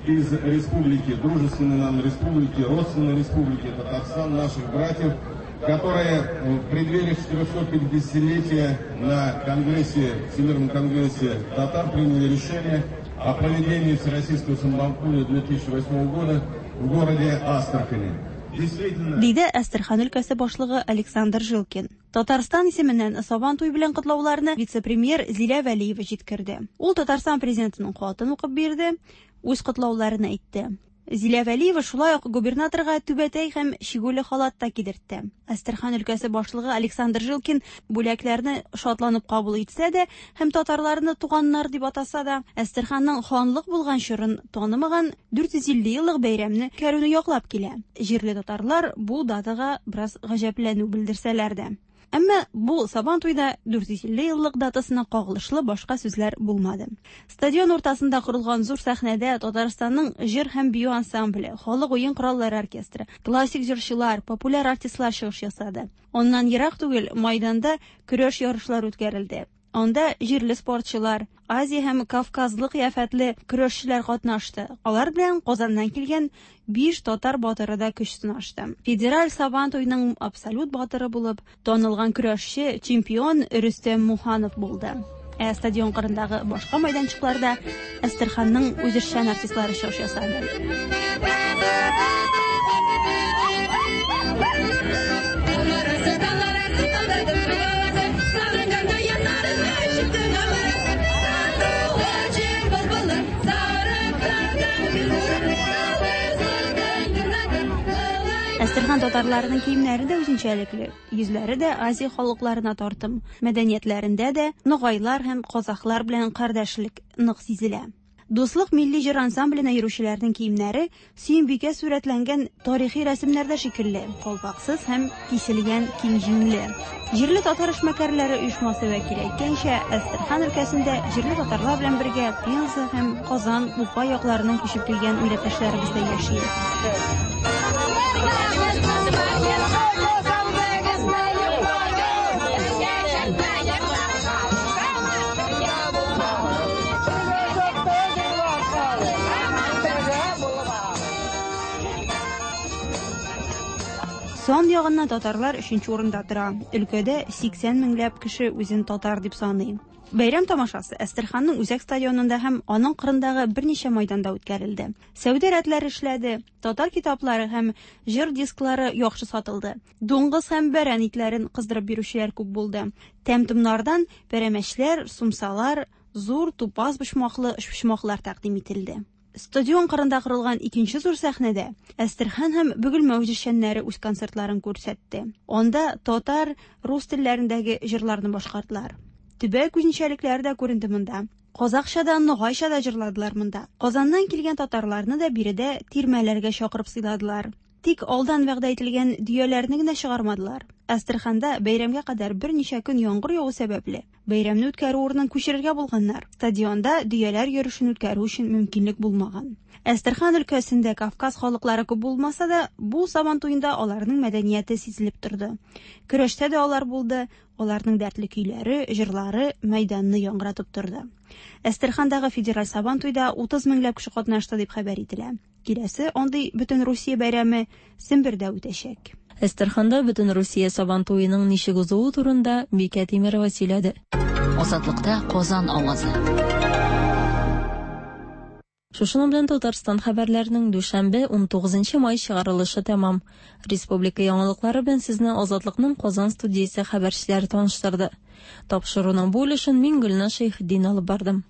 из республики, дружественной нам республики, родственной республики Татарстан, наших братьев, которые в преддверии четырехсотпятидесятилетия на Конгрессе, Всемирном конгрессе татар приняли решение о проведении Всероссийского Сабантуя две тысячи восьмого года в городе Астрахани. Действительно... Диде Әстерхан өлкәсе башлыгы Александр Жилкин. Татарстан исеменнән Сабантуй белән котлауларны вице-премьер Зилә Вәлиева җиткерде. Ул Татарстан президентының хатын укып бирде, үз котлауларын әйтте. Зилә Вәлиева шулай ук губернаторга түбәтәй һәм чигүле халат та кидертте. Әстерхан өлкәсе башлыгы Александр Жилкин бүләкләрне шатланып кабул итсә дә һәм татарларны туганнар дип атаса да, Әстерханның ханлык булган чорын танымаган дүрт йөз илле еллык бәйрәмне үткәрүне яклап килә. Җирле татарлар бу датага бераз гаҗәпләнү белдерсәләр дә. Әмма бу Сабантуйда дүрт йөз илле еллык датасына кагылышлы башка сүзләр булмады. Стадион уртасында корылган зур сәхнәдә Татарстанның җыр һәм бию ансамбле, халык уен кораллары оркестры, классик җырчылар, популяр артистлар чыгыш ясады. Аннан ерак түгел майданда көрәш ярышлары үткәрелде. Анда җирле спортчылар, Азия һәм Кавказлы кыяфәтле көрәшчеләр катнашты. Алар белән Казаннан килгән биш татар батыры да көч сынашты. Федераль Сабантуйның абсолют батыры булып танылган көрәшче, чемпион Рөстәм Муханов булды. Ә стадион кырындагы башка майданчыкларда Әстерханның үзешчән артистлары чыгыш ясады. Әстерхан татарларының киемнәре дә үзенчәлекле, йөзләре дә Азия халыкларына тартым, мәдәниятләрендә дә ногайлар һәм казахлар белән кардәшлек нык сизелә. Дуслык милли җыр ансамбленә йөрүчеләрнең киемнәре Сөембикә сурәтләнгән тарихи рәсемнәрдә шикелле, калпаксыз һәм киселгән киң җиңле. Җирле татар эшмәкәрләре оешмасы вәкиле әйткәнчә, Әстерхан өлкәсендә җирле татарлар белән бергә Пенза һәм Казан, Уфа якларыннан күчеп килгән милләттәшләребез дә яши. Сан ягыннан татарлар өченче урында тора. Өлкәдә сиксән меңләп кеше үзен татар дип саный. Бәйрәм тамашасы Әстерханның үзәк стадионында һәм аның кырындагы берничә майданда үткәрелде. Сәүдә рәтләре эшләде, татар китаплары һәм җыр дисклары яхшы сатылды. Дуңгыз һәм бәрән итләрен кыздырып бирүчеләр күп булды. Тәм-томнардан пәрәмәчләр, сумсалар, зур тупас почмаклы өчпочмаклар тәкъдим ителде. Стадион кырында корылган икенче зур сәхнәдә Әстерхан һәм Бөгелмә үзешчәннәре үз концертларын күрсәтте. Анда татар, рус телләрендәге җырларны башкардылар. Төбәк үзенчәлекләре дә күренде монда. Казахча да, ногайча да җырладылар монда. Казаннан килгән татарларны да биредә тирмәләргә чакырып сыйладылар. Тик алдан вәгъдә ителгән дөяләрне генә чыгармадылар. Әстерханда бәйрәмгә кадәр берничә көн яңгыр яву сәбәпле бәйрәмне үткәрү урынын күчерергә булганнар. Стадионда дөяләр йөрүшен үткәрү өчен мөмкинлек булмаган. Әстерхан өлкәсендә Кавказ халыклары күп булмаса да, бу Сабантуенда аларның мәдәнияте сизелеп торды. Көрәштә дә алар булды, аларның дәртле көйләре, җырлары мәйданны яңгыратып торды. Әстерхандагы федераль Сабантуйда утыз меңләп кеше катнашты дип хәбәр ителә. Киләсе андый бөтен Русия бәйрәме Сембердә үтәчәк. Әстерханда бөтен Русия Сабантуеның ничек узуы турында Бикә Тимирова сөйләде. Азатлыкта Казан авазы. Шушының белән Татарстан хәбәрләренең дүшәмбе ун тугызынчы май чыгарылышы тәмам. Республика яңалыклары белән сезне Азатлыкның Казан студиясе хәбәрчеләре таныштырды. Тапшыруның бу өлешен мин Гөлназ Шәйхетдин алып бардым.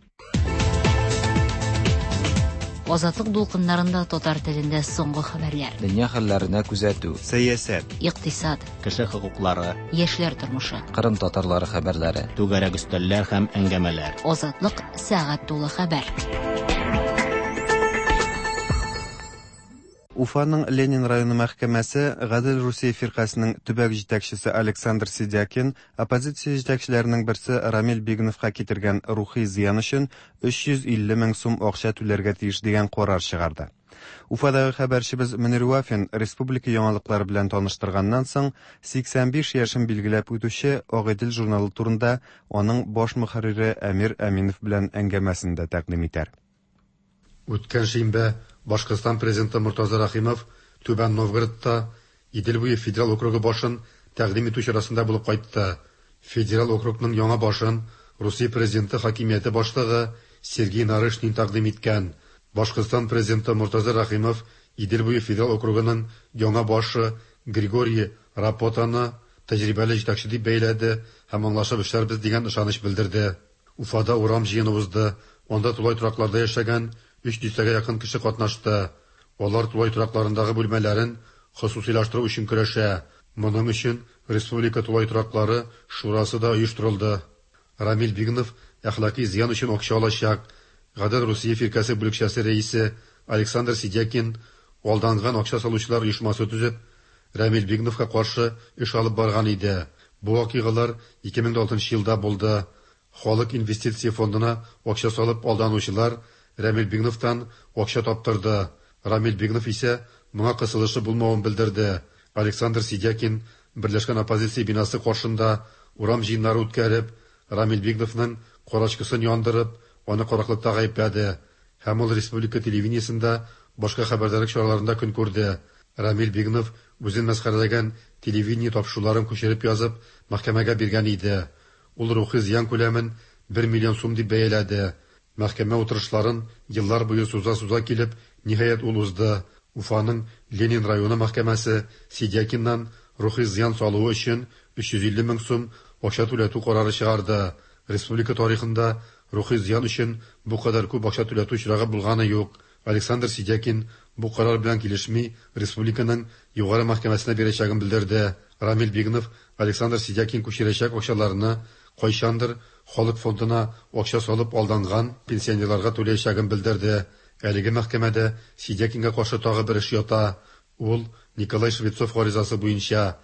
Азатлык дулкыннарында татар телендә соңгы хәбәрләр. Дөнья хәлләренә күзәтү, сәясәт, икътисад, кеше хокуклары, яшьләр тормышы, Кырым татарлары хәбәрләре, түгәрәк өстәлләр һәм әңгәмәләр. Азатлык сәгать тулы хәбәр. Уфаның Ленин районы мәхкәмәсе Гадел Русия фиркасының төбәк җитәкчесе Александр Сидякин оппозиция җитәкчеләренең берсе Рамил Бигновка китергән рухи зыян өчен өч йөз илле мең сум акча түләргә тиеш дигән карар чыгарды. Уфадагы хәбәрчебез Мөнир Вафин республика яңалыклары белән таныштырганнан соң сиксән биш яшен билгеләп үтүче Агыйдел журналы турында аның баш мөхәррире Әмир Әминов белән әңгәмәсен дә тәкъдим итәр. Үткән шимбә Башкортстан президенты Муртаза Рахимов Түбән Новгородта Идел буе федераль округы башын тәкъдим итү чарасында булып кайтты. Федераль округның яңа башын Русия президенты хакимияте башлыгы Сергей Нарышкин тәкъдим иткән. Башкортстан президенты Муртаза Рахимов Идел буе федераль округының яңа башы Григорий Рапотаны тәҗрибәле җитәкче дип бәйләде һәм аңлашып эшләрбез дигән ышаныч белдерде. Уфада урам җыены узды. Анда тулай торакларда яшәгән өч дистәгә якын кеше катнашты. Алар тулай торакларындагы бүлмәләрен хосусыйлаштыру өчен көрәшә. Моның өчен Республика тулай тораклары шурасы да оештырылды. Рамил Бигнов әхлаки зыян өчен акча алачак. Гадел Русия фиркәсе бүлекчәсе рәисе Александр Сидякин алданган акча салучылар оешмасы төзеп, Рамил Бигновка каршы эш алып барган иде. Бу вакыйгалар ике мең алтынчы елда булды. Халык инвестиция фондына акча салып алданучылар Рамил Бигновтан акча таптырды. Рамил Бигнов исә моңа кысылышы булмавын белдерде. Александр Сидякин Берләшкән оппозиция бинасы каршында урам җыеннары үткәреп, Рамил Бигновның карачкысын яндырып, аны караклыкта гаепләде. Һәм ул республика телевидениесендә башка хәбәрдарлык чараларында көн күрде. Рамил Бигнов үзен мәсхәрәләгән телевидение тапшыруларын күчереп язып, мәхкәмәгә биргән иде. Ул рухи зыян күләмен бер миллион сум дип бәяләде. Мәхкәмә утырышларын еллар буе суза-суза килеп, ниһаять ул узды. Уфаның Ленин районы мәхкәмәсе Сидякиннан рухи зыян салуы өчен өч йөз илле мең сум акча түләтү карары чыгарды. Республика тарихында рухи зыян өчен бу кадәр күп акча түләтү очрагы булганы юк. Александр Сидякин бу карар белән килешми, республиканың югары мәхкәмәсенә бирәчәген белдерде. Рамил Бигнов Александр Сидякин күчерәчәк акчаларны кайчандыр халык фондына акча салып алданган пенсионерларга түләячәген белдерде. Әлеге мәхкәмәдә Сидякинга каршы тагы бер эш ята. Ул Николай Швецов гаризасы буенча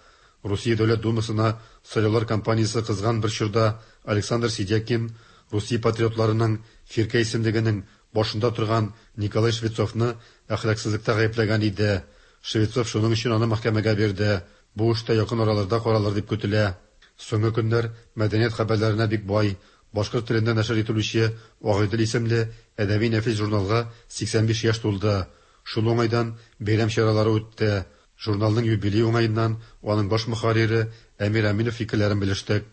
Русия Дәүләт Думасына сайлаулар кампаниясе кызган бер чорда Александр Сидякин Русия патриотларының фиркә исемлегенең башында торган Николай Швецовны әхлаксызлыкта гаепләгән иде. Швецов шуның өчен аны мәхкәмәгә бирде. Бу эштә якын араларда каралыр дип көтелә. Соңгы көннәр мәдәният хәбәрләренә бик бай. Башкорт телендә нәшер ителүче Агыйдел исемле әдәби нәфис журналга сиксән биш яшь тулды. Шул уңайдан бәйрәм чаралары үтте. Журналның юбилей уңаеннан аның баш мөхәррире Әмир Әминов фикерләрен белештек.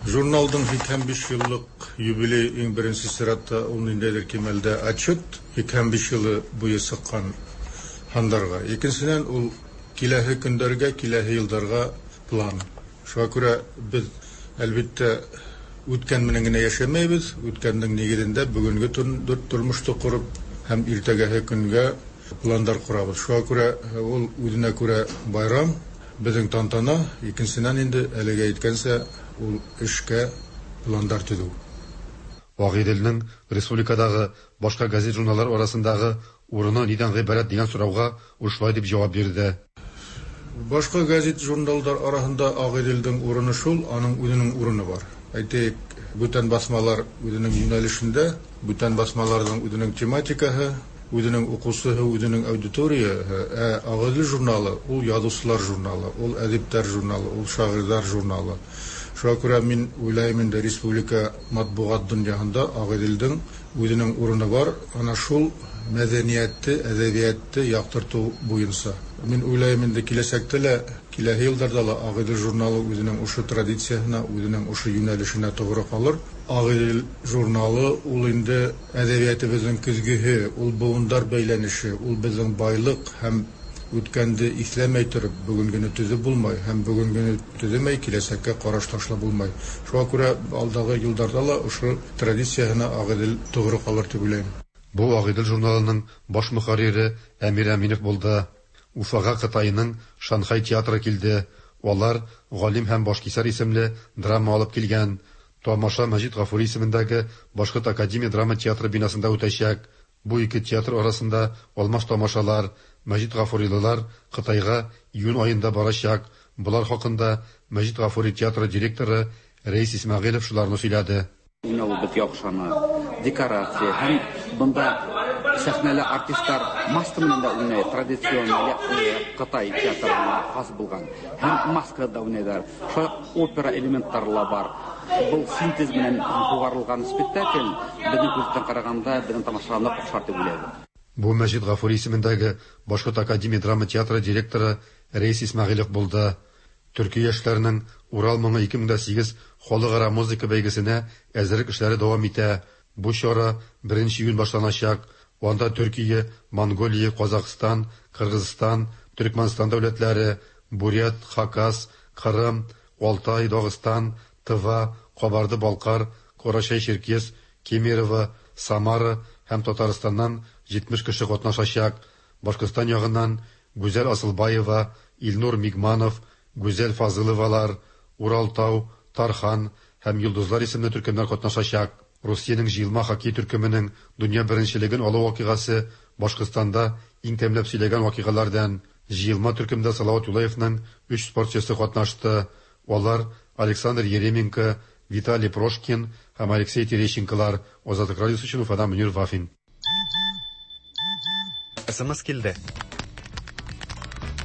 Журналдың һиксән биш еллык юбилей иң беренче чиратта ул ниндәйдер кимәлдә отчет һиксән биш елы буе сыккан һандарга. Икенчедән ул киләһе көндәргә, киләһе елдарга план. Шуңа күрә без әлбәттә үткән менән генә яшәмәйбез, үткәннең нигезендә бүгенге тормышты корып һәм иртәгәһе көнгә пландар корабыз. Шуңа күрә ул үзенә күрә байрам, безнең тантана, икенчедән инде әлегә әйткәнчә ул эшкә пландар төзү. Агыйделнең республикадагы башка газет-журналлар арасындагы урыны нидән гыйбарәт дигән сорауга ул шулай дип җавап бирде. Башка газет-журналлар арасында Агыйделнең урыны шул, аның үзенең урыны бар. Әйтик, бүтән басмалар үзенең юнәлешендә, бүтән басмаларның үзенең тематикаһы, үзенең укучысы, үзенең аудиторияһы. Ә Агыйдел журналы ул язучылар журналы, ул әдипләр журналы, ул шагыйрьләр журналы. Шуңа күрә мин уйлыйм инде республика матбугат дөньяһында Агыйделнең үзенең урыны бар. Ана шул мәдәниятте, әдәбиятты яктырту буенча. Мин уйлыйм инде киләчәктә лә, киләһе елларда ла Агыйдел журналы үзенең ушы традицияһына, үзенең ушы юнәлешенә тугры калыр. Агыйдел журналы ул инде әдәбиятыбызның көзгеһе, ул буындар бәйләнеше, ул безнең байлык һәм үткәнде исләмәй торып бүгенгене төзеп булмай һәм бүгенгене төземәй киләчәккә караш ташлап булмай. Шуңа күрә алдагы елларда ла ошо традицияһына Агыйдел тугры калыр дип уйлыйм. Бу Агыйдел журналының баш мөхәррире Әмир Әминов булды. Уфага Кытайның Шанхай театры килде. Алар Галим һәм Башкисәр исемле драма алып килгән. Тамаша Мәҗит Гафури исемендәге Башкорт академия драма театры бинасында үтәчәк. Бу ике театр арасында алмаш тамашалар. Мәҗит Гафурилылар Кытайга июнь аенда барачак. Булар хакында Мәҗит Гафури театры директоры Рәис Исмәгыйлев шуларны сөйләде. Уйнау бит яхшаны, декорация һәм бында сәхнәле артистлар маска менән дә уйнай, традицион Кытай театрына хас булган. Һәм маскада да уйнайлар. Шулай опера элементлары ла бар. Был синтез менән кугарылган спектакль безнең күздән караганда безнең тамашачыларны охшар дип уйлыйбыз. Бу Мәҗит Гафури исемендәге Башкорт академия драма театры директоры Рәис Исмәгыйлев булды. Төркия яшьләренең Урал моңы ике мең дә сигез халыкара музыка бәйгесенә әзерлек эшләре дәвам итә. Бу чара беренче июнь башланачак. Анда Төркия, Монголия, Казахстан, Кыргызстан, Төркмәнстан дәүләтләре, Бурят, Хакас, Кырым, Алтай, Дагыстан, Тыва, Кабарды-Балкар, Карачай-Черкес, Кемерово, Самара һәм Татарстаннан җитмеш кеше катнашачак. Башкортстан ягыннан Гүзәл Асылбаева, Илнур Мигманов, Гүзәл Фазыловалар, Уралтау, Тархан һәм Йолдызлар исемле төркемнәр катнашачак. Русиянең җыелма хоккей төркеменең дөнья беренчелеген алу вакыйгасы Башкортстанда иң тәмләп сөйләгән вакыйгалардан. Җыелма төркемдә Салават Юлаевның өч спортчысы катнашты. Алар Александр Еременко, Виталий Прошкин һәм Алексей Терещенколар. Азатлык радиосы өчен Уфадан Мөнир Вафин. СМС килде.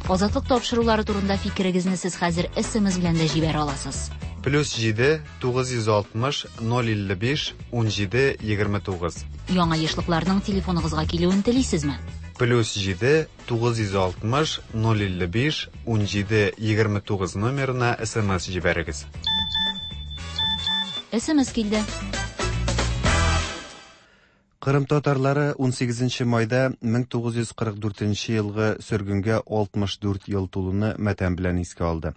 Азатлык тапшырулары турында фикерегезне сез хәзер СМС белән дә җибәрә аласыз. Плюс җиде, тугыз йөз алтмыш, ноль илле биш, унҗиде, егерме тугыз. Яңа ешлыкларның телефоныгызга килүен телисезме? Плюс җиде, тугыз йөз алтмыш, ноль илле биш, унҗиде, егерме тугыз номерына СМС җибәрегез. СМС килде. Кырым татарлары унсигезенче майда мең тугыз йөз кырык дүртенче елгы сөргенгә алтмыш дүрт ел тулуны матәм белән искә алды.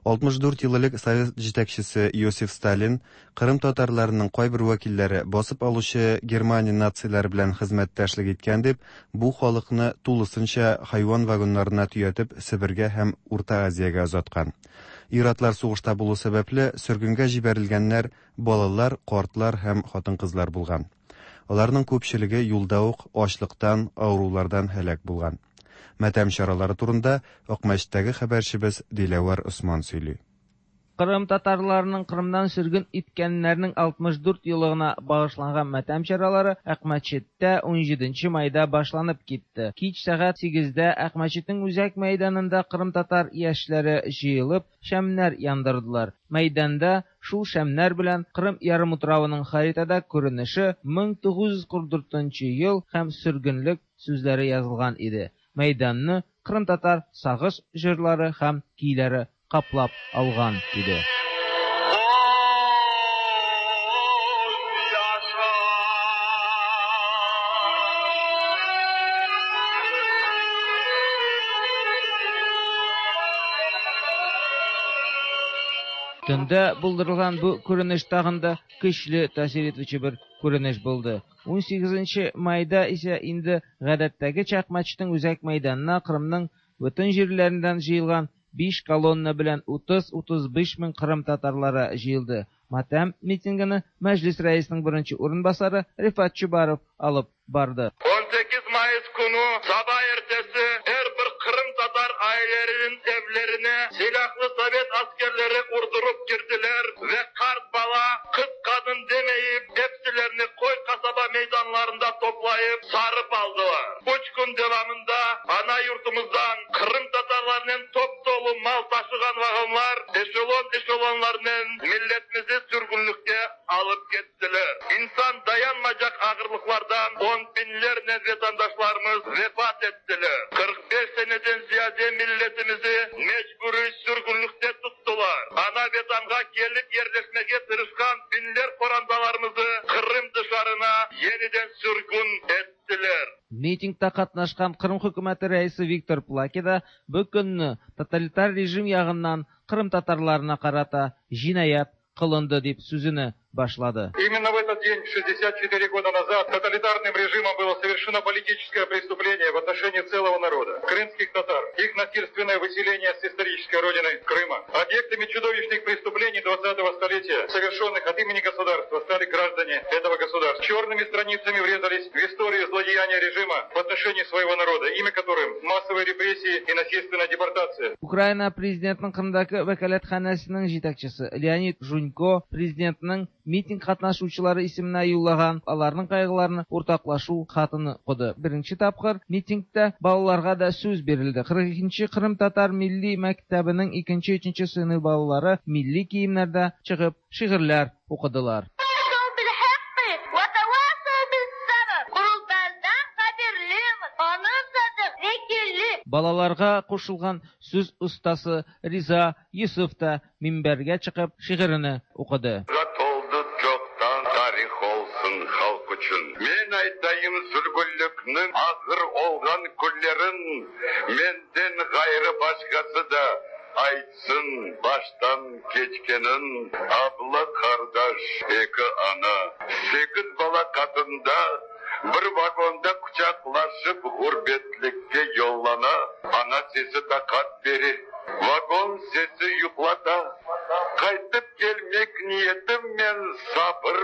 Алтмыш дүрт ел элек совет җитәкчесе Иосиф Сталин Кырым татарларының кайбер вәкилләре басып алучы Германия нацияләре белән хезмәттәшлек иткән дип, бу халыкны тулысынча хайван вагоннарына төятеп Себергә һәм Урта Азиягә озаткан. Ир-атлар сугышта булу сәбәпле сөргенгә җибәрелгәннәр балалар, картлар һәм хатын-кызлар булган. Аларның күпчелеге юлда ук ачлыктан, авырулардан һәлак булган. Матәм чаралары турында Акмәчеттәге хәбәрчебез Диләвәр Осман сөйли. Кырым татарларының Кырымдан сөргөн иткәннәрнең алтмыш дүрт еллыгына багышланган матәм чаралары Акмәчеттә унҗиденче майда башланып китте. Кич сәгать сигездә Акмәчетнең үзәк мәйданында Кырым татар яшьләре җыелып, шәмнәр яндырдылар. Мәйданда шул шәмнәр белән Кырым ярымутравының харитада күренеше мең тугыз йөз кырык дүртенче ел һәм сөргенлек сүзләре язылган иде. Мәйданны Кырым татар сагыш җырлары һәм көйләре каплап алган иде. Төндә булдырылган бу күренеш тагын да көчле тәэсир итүче бер күренеш булды. Унсигезенче майда исә инде гадәттәгечә Акмәчетнең үзәк мәйданына Кырымның бөтен җирләреннән җыелган биш колонна белән утыз-утыз биш мең Кырым татарлары җыелды. Матәм митингыны Мәҗлис рәисенең беренче урынбасары Рифат Чубаров алып барды. Унсигез Mayıs günü sabah ertesi her bir Kırım Tatar ailelerinin evlerine silahlı Sovet askerleri urdurup girdiler ve kart bala, kız kadın demeyip hepsilerini koy kasaba meydanlarında toplayıp sarıp aldılar. Üç gün devamında ana yurtumuzdan Kırım Tatarlarının top dolu mal taşıgan vagonlar eşelon eşelonlarının milletimizi sürgünlükte alıp gittiler. İnsan dayanmayacak ağırlıklardan on binlerce vatandaşlarımız vefat ettiler. kırk beş seneden ziyade milletimizi mecburi sürgünlükte tuttular. Ana vatanga gelip yerleşmeye tırışkan binler korandalarımızı Kırım dışarına yeniden sürgün ettiler. Митингта катнашкан Кырым хөкүмәте рәисе Виктор Плаки да бу көнне тоталитар режим ягыннан Кырым татарларына карата җинаять кылынды дип сүзен башлады. Именно в этот день, шестьдесят четыре года назад, тоталитарным режимом было совершено политическое преступление в отношении целого народа, крымских татар, их насильственное выселение с исторической родины Крыма. Объектами чудовищных преступлений двадцатого столетия, совершенных от имени государства, стали граждане этого государства. Черными страницами врезались в историю злодеяния режима в отношении своего народа, имя которым массовые репрессии и насильственная депортация. Украина президентының Кырымдагы вәкаләтханәсенең җитәкчесе Леонид Жунько президентның митинг катнашучылары исеменә юллаган аларның кайгыларын уртаклашу хатын укыды. Беренче тапкыр митингта балаларга да сүз бирелде. кырык икенче Кырым татар милли мәктәбенең икенче, өченче сыйныф балалары милли киемнәрдә чыгып шигырьләр укыдылар. Балаларга кушылган сүз остасы Риза Юсуф та минбәргә чыгып шигырен укыды. Мен айтайым сүргүнлүкнүн азыр олган күнлерин менден гайры башкасы да айтсын баштан кечкенин. Абла кардаш, эки ана, сегиз бала катында Bir vagonda quçaqlaşıp gurbetlikke yollana, ana sesi takat verir. Vagon sesi yuqlata. Qaytıp gelmek niyetim men sabır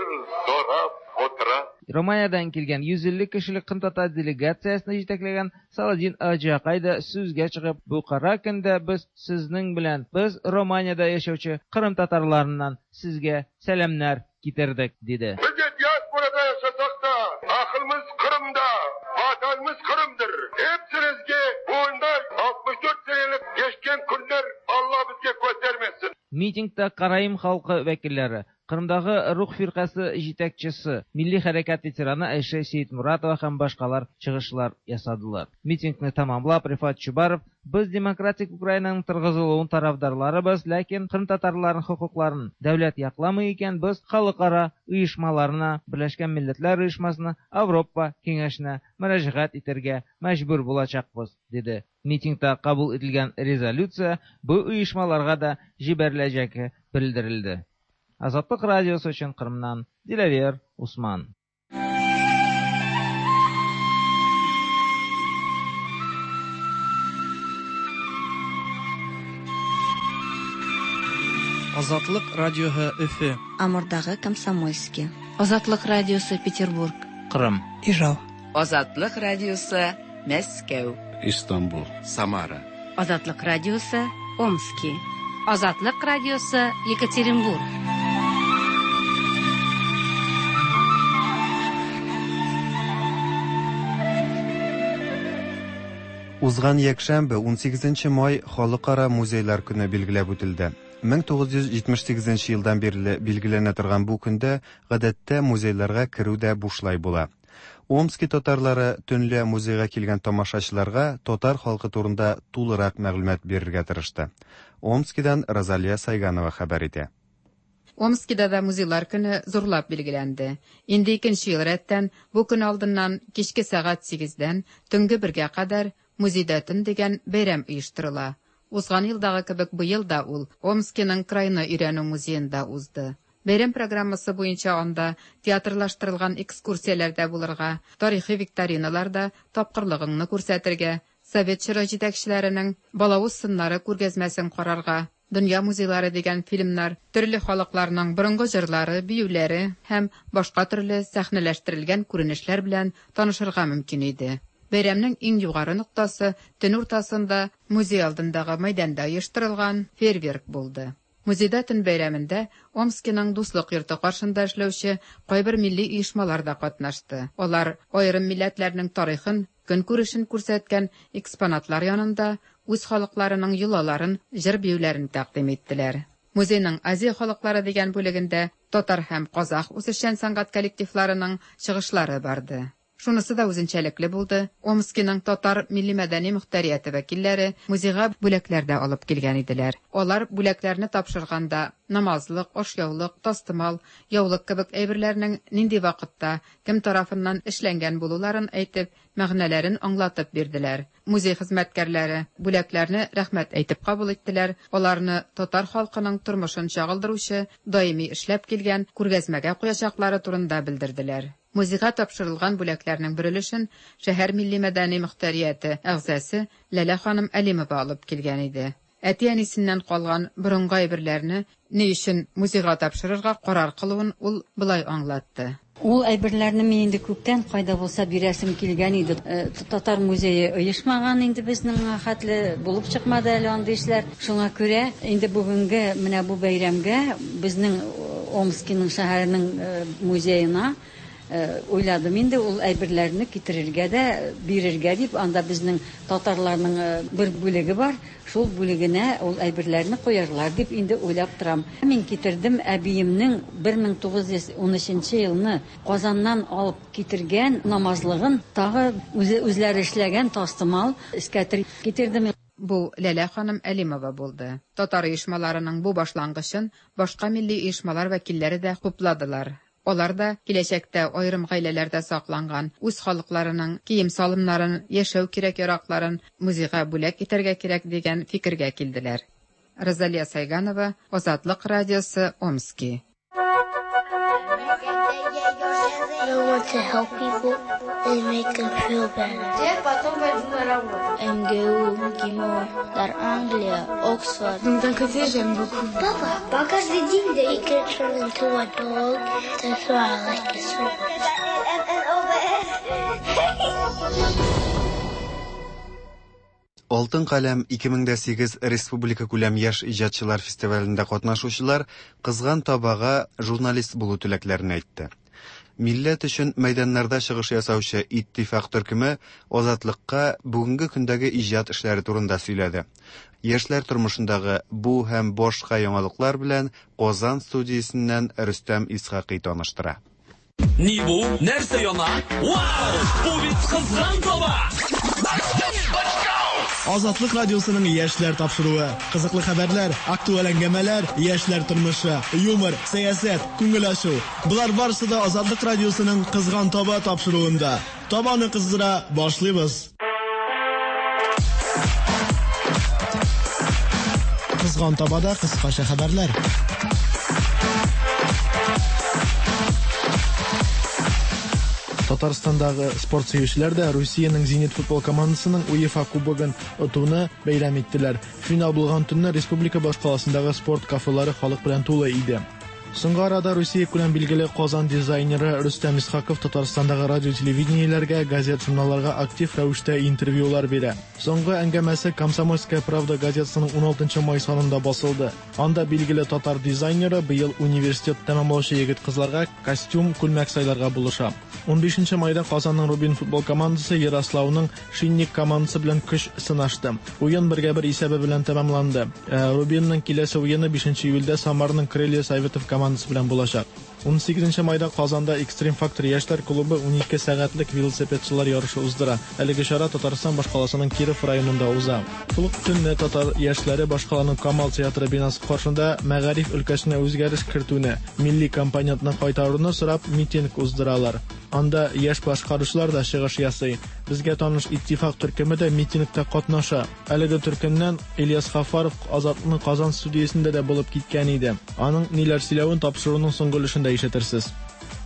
sorap otura. Romaniyadan kelgan yuz ellik kishilik qrimtatar delegatsiyasini yetaklagan Saladin Ajakay da so'zga chiqib, bu qora kunda biz sizning bilan, biz Romaniyada yashovchi qrimtatarlardan sizga salamlar ketirdik, dedi. Biz diasporada yashasak da, aqlimiz Qrimda, vatanimiz Qrimdir. Hepsinizga bunda oltmish to'rt senelik geçken kunlar Alloh bizga ko'tarmasin. Mitingda Qaraim xalqi vakillari, Qrimdagi Ruh firqasi yetakchisi, milliy harakat veterani Aysha Seyitmuratova ham boshqalar chiqishlar yasadilar. Mitingni tamomlab Rifat Chubarov, biz demokratik Ukrainaning turg'iziluvini tarafdorlarimiz, lekin qrimtatarlarning huquqlarini davlat yoqlamay ekan, biz xalqaro uyushmalarına, Birlashgan Millatlar Uyushmasina, Avropa Kengashina murojaat etarga majbur bo'lajaqmiz, dedi. Mitingda qabul etilgan rezolyutsiya bu uyushmalarga da jibarilajagi bildirildi. Azatlık Radyosu için Kırım'dan Dilaver Usman. Azatlık Radyosu Өфө. Амурдагы Комсомольский. Азатлык Радиосы Петербург. Кырым. Ижау. Азатлык Радиосы Мәскәү. Истанбул. Самара. Азатлык Радиосы Омский. Азатлык Радиосы Екатеринбург. Узган якшәмбе ун сигезенче май Халыкара музейлар көне билгеләп үтелде. мең тугыз йөз җитмеш сигезенче елдан бирле билгеләнә торган бу көндә гадәттә музейларга керү дә бушлай була. Омски татарлары төнлә музейга килгән тамашачыларга татар халкы турында тулырак мәгълүмат бирергә тырышты. Омскидан Розалия Сайганова хәбәр итә. Омскида да музейлар көне зурлап билгеләнде. Инде икенче ел рәттән бу көн алдыннан кичке сәгать сигездән төнге бергә кадәр музейда төн дигән бәйрәм оештырыла. Узган елдагы кебек быел да ул Омскиның крайны өйрәнү музеенда узды. Бәйрәм программасы буенча анда театрлаштырылган экскурсияләрдә булырга, тарихи викториналарда тапкырлыгыңны күрсәтергә, совет чоры җитәкчеләренең балавыз сыннары күргәзмәсен карарга, Дөнья музейлары дигән фильмнар, төрле халыкларның борынгы җырлары, биюләре һәм башка төрле сәхнәләштерелгән күренешләр белән танышырга мөмкин иде. Бәйрәмнең иң югары ноктасы төн уртасында музей алдындагы мәйданда оештырылган фейерверк булды. Музейда төн бәйрәмендә Омскиның дуслык йорты каршында эшләүче кайбер милли оешмалар да катнашты. Алар аерым милләтләрнең тарихын, көнкүрешен күрсәткән экспонатлар янында үз халыкларының йолаларын, җыр-биюләрен тәкъдим иттеләр. Музейның Азия халыклары дигән бүлегендә татар һәм казах үзешчән сәнгать коллективларының чыгышлары барды. Шунысы да үзенчәлекле булды. Омскиның татар милли мәдәни мөхтәрияте вәкилләре музейга бүләкләр дә алып килгән иделәр. Алар бүләкләрне тапшырганда намазлык, ашъяулык, тастымал, яулык кебек әйберләрнең нинди вакытта, кем тарафыннан эшләнгән булуларын әйтеп, мәгънәләрен аңлатып бирделәр. Музей хезмәткәрләре бүләкләрне рәхмәт әйтеп кабул иттеләр. Аларны татар халкының тормышын чагылдыручы, даими эшләп килгән күргәзмәгә куячаклары турында белдерделәр. Музейга тапшырылган бүләкләрнең бер өлешен шәһәр милли мәдәни мөхтәрияте әгъзасы Ләлә ханым Әлимова алып килгән иде. Әти-әнисеннән калган борынгы әйберләрне ни өчен музейга тапшырырга карар кылуын ул былай аңлатты. Ул әйберләрне мин инде күптән кайда булса бирәсем килгән иде. Татар музее оешмаган инде безнең хәтле булып чыкмады әле андый эшләр. Шуңа күрә инде бүгенге менә бу бәйрәмгә безнең Омскиның шәһәренең музеена уйладым инде ул әйберләрне китерергә дә бирергә дип. Анда безнең татарларның бер бүлеге бар, шул бүлегенә ул әйберләрне куярлар дип инде уйлап торам. Мин китердем әбиемнең бер мең тугыз йөз унөченче елны Казаннан алып китергән намазлыгын, тагы үзе үзләре эшләгән тастымал эскәтер китердем. Бу Ләлә ханым Әлимова булды. Татар оешмаларының бу башлангычын башка милли оешмалар вәкилләре дә хупладылар. Алар да киләчәктә аерым гаиләләрдә сакланган үз халыкларының кием-салымнарын, яшәү кирәк-яракларын музейга бүләк итәргә кирәк дигән фикергә килделәр. Розалия Сайганова, Азатлык радиосы, Омски. I want to help people and make them feel better. Я потом пойду на работу. МГУ, МГИМО, Дар Англия, Оксфорд. Donc d'un côté, j'aime beaucoup. Папа, каждый день they can turn into a dog. That's why I like it so much. Алтын каләм ике мең дә сигез республика күләм яшь иҗатчылар фестивалендә катнашучылар кызган табага журналист булу теләкләрен әйтте. Милләт өчен мәйданнарда чыгыш ясаучы Иттифак төркеме Азатлыкка бүгенге көндәге иҗат эшләре турында сөйләде. Яшьләр тормышындагы бу һәм башка яңалыклар белән Казан студиясеннән Рөстәм Исхакый таныштыра. Ни бу? Нәрсә яна? Вау! Бу бит кызган таба! Азатлык радиосының яшьләр тапшыруы. Кызыклы хәбәрләр, актуаль әңгәмәләр, яшьләр тормышы, юмор, сәясәт, күңел ачу. Болар барысы да Азатлык радиосының Кызган таба тапшыруында. Табаны кыздыра башлыйбыз. Кызган табада кыскача хәбәрләр. Татарстандагы спорт сөючеләр дә Русиянең Зенит футбол командасының УЕФА кубогын отуны бәйрәм иттеләр. Финал булган төнне республика башкаласындагы спорт кафелары халык белән тулы иде. Соңгы арада Русия күләм билгеле Казан дизайнеры Рөстәм Исхаков Татарстандагы радио телевидениеләргә, газет-журналларга актив рәвештә интервьюлар бирә. Соңгы әңгәмәсе Комсомольская правда газетасының ун алтынчы май санында басылды. Анда билгеле татар дизайнеры быел университет тәмамлаучы егет-кызларга костюм, күлмәк сайларга булыша. ун бишенче майда Казанның Рубин футбол командасы Ярославның Шинник командасы белән көч сынашты. Уен бергә бер исәбе белән тәмамланды. Рубинның киләсе уены бишенче июльдә Самарның Крылья Советов командасы белән булачак. ун сигезенче майда Казанда Экстрим Фактор яшьләр клубы ун ике сәгатьлек велосипедчылар ярышы уздыра. Әлеге чара Татарстан башкаласының Киров районында уза. Шул ук төнне татар яшьләре башкаланың Камал театры бинасы каршында мәгариф өлкәсенә үзгәреш кертүне, милли компонентны кайтаруны сорап митинг уздыралар. Анда яшь башкаручылар да чыгыш ясый. Безгә таныш Иттифак төркеме дә митингта катнаша. Әлеге төркемнән Ильяс Хафаров Азатлыкның Казан студиясендә дә булып киткән иде. Аның ниләр сөйләвен тапшыруның соңгы өлешендә ишетерсез.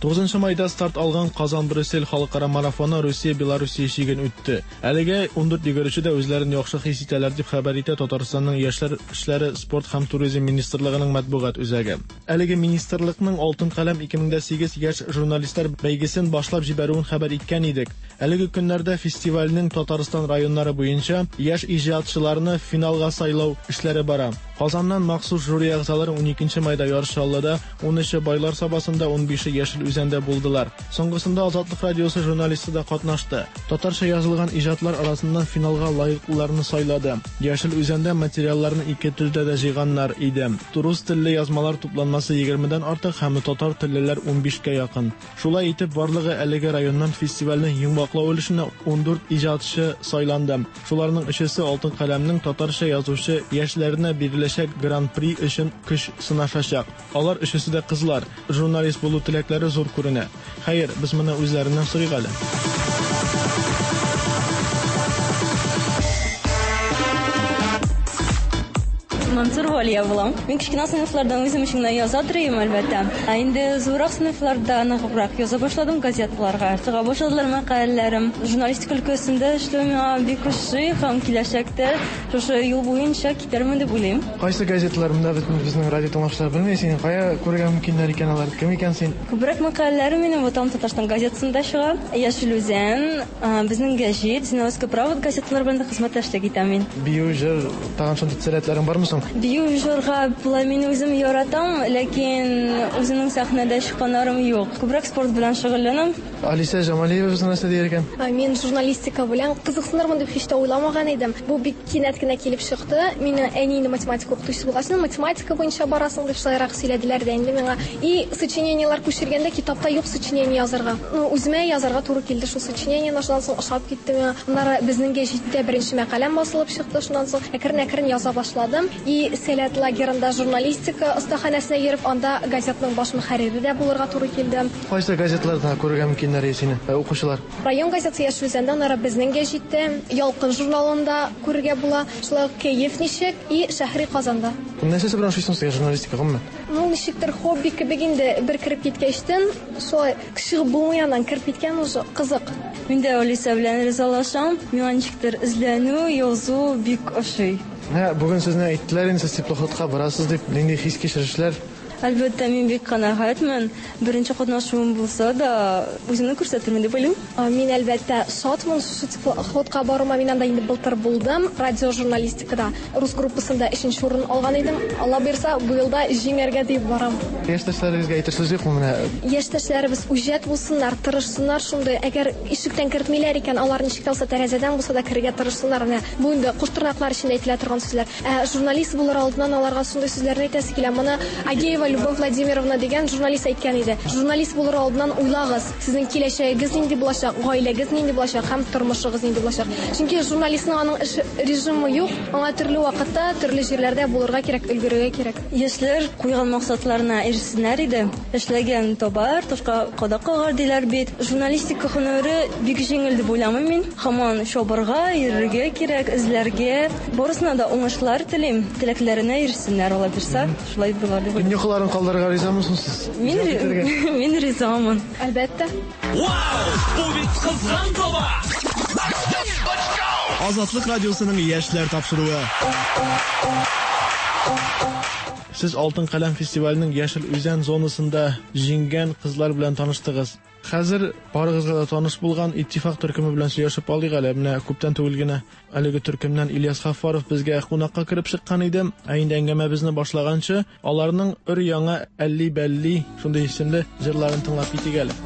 Тугызынчы майда старт алган Казан-Брюссель халыкара марафоны Русия-Белоруссия чиген үтте. Әлегә ун дүрт йөгерүче дә үзләрен яхшы хис итәләр дип хәбәр итә Татарстанның Яшьләр эшләре, спорт һәм туризм министрлыгының матбугат үзәге. Әлеге министрлыкның Алтын каләм ике мең дә сигез яшь журналистлар бәйгесен башлап җибәрүен хәбәр иткән идек. Әлеге көннәрдә фестивальнең Татарстан районнары буенча яшь иҗатчыларны финалга сайлау эшләре бара. Казаннан махсус жюри әгъзалары ун икенче майда Яр Чаллыда, унөче Байлар Сабасында, унбише Яшел Үзәндә булдылар. Соңгысында Азатлык радиосы журналисты да катнашты. Татарча язылган иҗатлар арасыннан финалга лаеклыларны сайлады. Яшел Үзәндә материалларны ике телдә дә җыйганнар иде. Рус телле язмалар тупланмасы егермедән артык һәм татар теллеләр унбишкә якын. Шулай итеп, барлыгы әлеге районнан фестивальнең йомгаклау өлешенә ун дүрт иҗатчы сайланды. Шуларның өчесе Алтын каләмнең татарча язучы яшьләренә биреләчәк гран-при өчен көч сынашачак. Алар өчесе дә кызлар. Журналист булу теләкләре зур күренә. Хәер, без моны үзләреннән сорыйк әле. Мансур Валия булам. Мин кечкенә сыйныфлардан үзем өчен генә яза торыйм, әлбәттә. Ә инде зуррак сыйныфларда ныграк яза башладым газеталарга. Чыга башладылар мәкаләләрем. Журналистика өлкәсендә эшләү миңа бик ошый һәм киләчәктә шушы юл буенча китәрмен дип уйлыйм. Кайсы газеталар монда безнең радио тыңлаучылар белми, син кая күрергә мөмкиннәр икән алар? Кем икән син? Күбрәк мәкаләләрем минем Ватан Татарстан газетасында чыга. Яшел Үзән, безнең гәҗит, Зиновская правда газеталар белән дә хезмәттәшлек итәм мин. Бию, җыр, тагын шундый сәләтләрең бармы соң? Бию җырга болай мин үзем яратам, ләкин үземнең сәхнәдә чыкканнарым юк. Күбрәк спорт белән шөгыльләнәм. Алисә Җамалиева безне нәрсә дияр икән? Мин журналистика белән кызыксынырмын дип һич тә уйламаган идем. Бу бик кинәт кенә килеп чыкты. Мине әни инде математика укытучысы булгач, математика буенча барасың дип шулайрак сөйләделәр дә инде миңа. И сочинениеләр күчергәндә китапта юк сочинение язарга. Ну, үземә язарга туры килде шул сочинениене, шуннан соң ошап китте миңа. Аннары безнең гәҗиттә беренче мәкаләм басылып чыкты, шуннан соң әкрен-әкрен яза башладым. И Сәләт лагерында журналистика остаханәсенә йөреп, анда газетның баш мөхәррире дә булырга туры килде. Кайсы газетларда күрергә мөмкиннәр сине, укучылар? Район газетасы Яшел Үзәндә, аннары безнең гәҗиттә, Ялкын журналында күрергә була, шулай ук Кәеф ничек и Шәһри Казанда. Нәрсәсе белән ошыйсың сезгә журналистика гомумән? Ну, ничектер хобби кебек инде, бер кереп киткәчтен, шулай чыгып булмый аннан, кереп киткән уже кызык. Мин дә Алиса белән ризалашам. Миңа ничектер эзләнү, язу бик ошый. Менә бүген сезне әйттеләр инде, сез теплоходка барасыз дип, нинди хис-кичерешләр? Әлбәттә, мин бик канәгатьмен. Беренче катнашуым булса да, үземне күрсәтермен дип уйлыйм. Мин әлбәттә шатмын шушы теплоходка баруыма. Мин анда инде былтыр булдым. Радио журналистикада рус группасында өченче урын алган идем. Алла бирса, бу елда җиңәргә дип барам. Яшьтәшләрегезгә әйтер сүз юкмы менә? Яшьтәшләребез үҗәт булсыннар, тырышсыннар шундый. Әгәр ишектән кертмиләр икән, алар ничек тә булса тәрәзәдән булса да керергә тырышсыннар. Менә бу инде куш тырнаклар эчендә әйтелә торган сүзләр. Ә журналист булыр алдыннан аларга шундый сүзләрне әйтәсе килә. Моны Агеева Любовь Владимировна дигән журналист әйткән иде. Журналист булыр алдыннан уйлагыз, сезнең киләчәгегез нинди булачак, гаиләгез нинди булачак һәм тормышыгыз нинди булачак. Чөнки журналистның аның эш режимы юк, аңа төрле вакытта, төрле җирләрдә булырга кирәк, өлгерергә кирәк. Яшьләр куйган максатларына ирешсеннәр иде. Эшләгән табар, ташка кадак кагар диләр бит. Журналистика һөнәре бик җиңел дип уйламыйм мин. Һаман чабырга, йөрергә кирәк, эзләргә. Барысына да уңышлар телим, теләкләренә ирешсеннәр, Алла бирсә, шулай булыр дип уйлыйм. Йокыларын калдырырга ризамысың сез? Мин мин ризамын. Әлбәттә. Вау! Бу бит кызган таба! Азатлык радиосының яшьләр тапшыруы. Сез Алтын каләм фестиваленең Яшел Үзән зонасында җиңгән кызлар белән таныштыгыз. Хәзер барыгызга да таныш булган Иттифак төркеме белән сөйләшеп алыйк әле. Менә күптән түгел генә әлеге төркемнән Ильяс Гафаров безгә кунакка кереп чыккан иде. Ә инде әңгәмәбезне башлаганчы, аларның өр-яңа Әлли-бәлли шундый исемле җырларын тыңлап китик әле.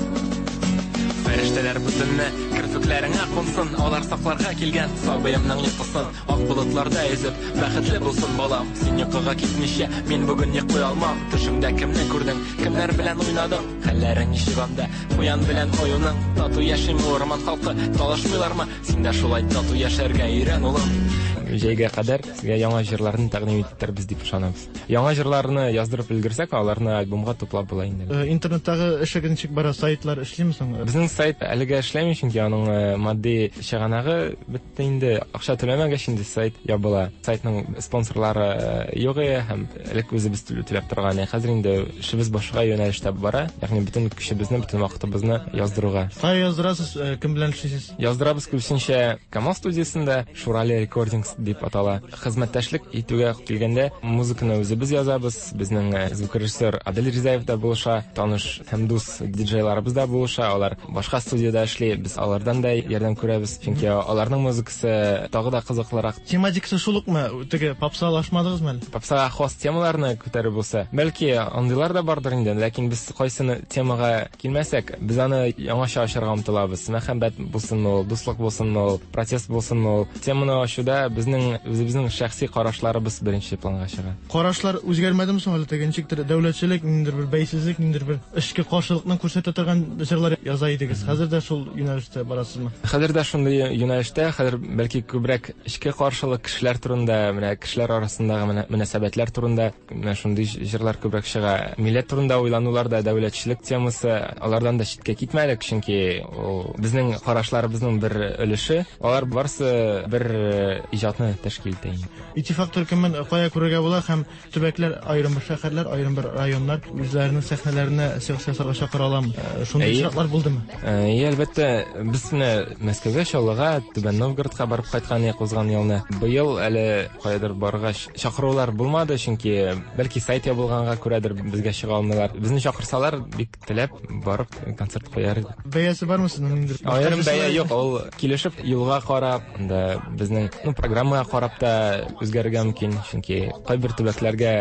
Фәрештәләр бу төнне керфекләреңә кунсын, алар сакларга килгән сабыемның йокысын. Ак болытларда йөзеп, бәхетле булсын балам. Син йокыга китмичә, мин бүген йоклый алмам. Төшеңдә кемне күрдең, кемнәр белән уйнадың? Хәлләрең ничек анда, куян белән аюның? Тату яшиме урман халкы, талашмыйлармы? Син дә шулай тату яшәргә өйрән, улым. Җәйгә кадәр сезгә яңа җырларны тәкъдим итербез дип ышанабыз. Яңа җырларны яздырып өлгерсәк, аларны альбомга туплап була инде. Интернеттагы эшегез ничек бара? Сайтлар эшлиме соң? Безнең сайт әлегә эшләми, чөнки аның матди чыганагы бетте инде. Акча түләмәгәч инде сайт ябыла. Сайтның спонсорлары юк һәм элек үзебез түләп торган. Хәзер инде эшебез башка юнәлештә бара. Ягъни бөтен көчебезне, бөтен вакытыбызны яздыруга. Кая яздырасыз, кем белән эшлисез? Яздырабыз күбесенчә Камал студиясендә, Шурали Рекордингс дип атала. Хезмәттәшлек итүгә килгәндә музыканы үзебез язабыз. Безнең звукорежиссер Адель Ризаев да булыша, таныш һәм дус диджейларыбыз да булыша. Алар башка студияда эшли, без алардан да ярдәм күрәбез, чөнки аларның музыкасы тагы да кызыклырак. Тематикасы шул укмы? Теге попсалашмадыгызмы әле? Попсага хас темаларны күтәрү булса, бәлки андыйлар да бардыр инде, ләкин без кайсыны темага килмәсәк, без аны яңача ачарга омтылабыз. Мәхәббәт булсынмы ул, дуслык булсынмы ул, протест булсынмы ул. Теманы ачуда безнең үзебезнең шәхси карашларыбыз беренче планга чыга. Карашлар үзгәрмәдеме соң әле? Теге ничектер дәүләтчелек, ниндидер бер бәйсезлек, ниндидер бер эчке каршылыкны күрсәтә торган җырлар яза идегез. Хәзер дә шул юнәлештә барасызмы? Хәзер дә шундый юнәлештә, хәзер бәлки күбрәк эчке каршылык кешеләр турында, менә кешеләр арасындагы мөнәсәбәтләр турында менә шундый җырлар күбрәк чыга. Милләт турында уйланулар да, дәүләтчелек темасы, алардан да читкә китмәдек, чөнки ул безнең карашларыбызның бер өлеше. Алар барысы бер иҗатны тәшкил итә. Иттифак төркемен кая күрергә була һәм төбәкләр, аерым бер шәһәрләр, аерым бер районнар үзләренең сәхнәләренә чыгыш ясарга чакыра аламы? Шундый очраклар булдымы? Әйе, әлбәттә, без менә Мәскәүгә, Чаллыга, Түбән Новгородка барып кайткан идек узган елны. Быел әле каядыр баргач чакырулар булмады, чөнки бәлки сайт ябылганга күрәдер безгә чыга алмыйлар. Безне чакырсалар, бик теләп барып концерт куяр идек. Бәясе бармы сезнең ниндидер? Аерым бәя юк, ул килешеп юлга карап, анда безнең, ну, программага карап та үзгәрергә мөмкин, чөнки кайбер төбәкләргә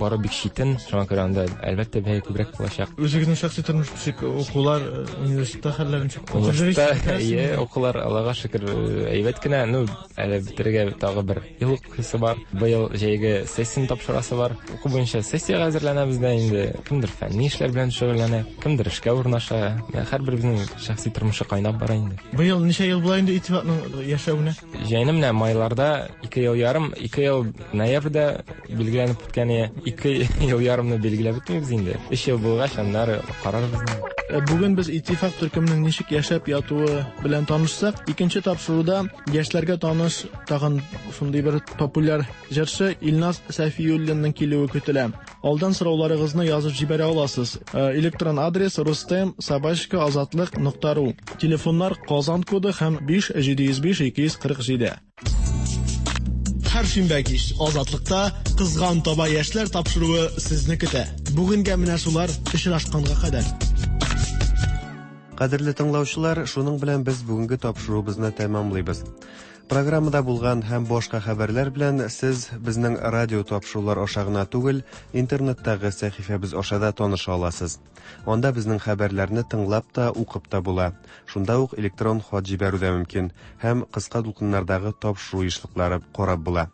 бару бик читен, шуңа күрә анда әлбәттә бәя күбрәк булачак. Үзегезнең шәхси тормыш ничек, укулар, университетта хәлләр ничек? Университетта, әйе, укулар, Аллага шөкер, әйбәт кенә. Ну, әле бетерергә тагы бер ел укыйсы бар. Быел җәйге сессияне тапшырасы бар. Уку буенча сессиягә әзерләнәбез дә инде. Кемдер фәнни эшләр белән шөгыльләнә, кемдер эшкә урнаша. Һәрберебезнең шәхси тормышы кайнап бара инде. Быел ничә ел була инде Иттифакның яшәвенә? Җәйне менә майларда ике ел ярым, ике ел ноябрьдә билгеләнеп үткән, ике ел ярымны билгеләп үтмибез инде. Өч ел булгач, аннары карарбыз. Бүген без Иттифак төркеменең ничек яшәп ятуы белән танышсак, икенче тапшыруда яшьләргә таныш тагын шундый бер популяр җырчы Илназ Сафиуллинның килүе көтелә. Алдан сорауларыгызны язып җибәрә аласыз. Электрон адрес рустем собачка азатлык нокта ру. Телефоннар Казан коды һәм биш җиде йөз биш ике йөз кырык җиде. Һәр шимбә кич Азатлыкта Кызган таба яшьләр тапшыруы сезне көтә. Бүгенгә менә шулар, очрашканга кадәр. Кадерле тыңлаучылар, шуның белән без бүгенге тапшыруыбызны тәмамлыйбыз. Программада булган һәм башка хәбәрләр белән сез безнең радио тапшырулар аша гына түгел, интернеттагы сәхифәбез аша да таныша аласыз. Анда безнең хәбәрләрне тыңлап та, укып та була. Шунда ук электрон хат җибәрү дә мөмкин һәм кыска дулкыннардагы тапшыру ешлыклары карап була.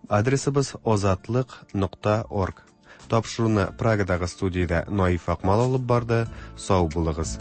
Адресыбыз азатлык нокта орг. Тапшыруны Прагадагы студиядә Наиф Акмал алып барды. Сау булыгыз.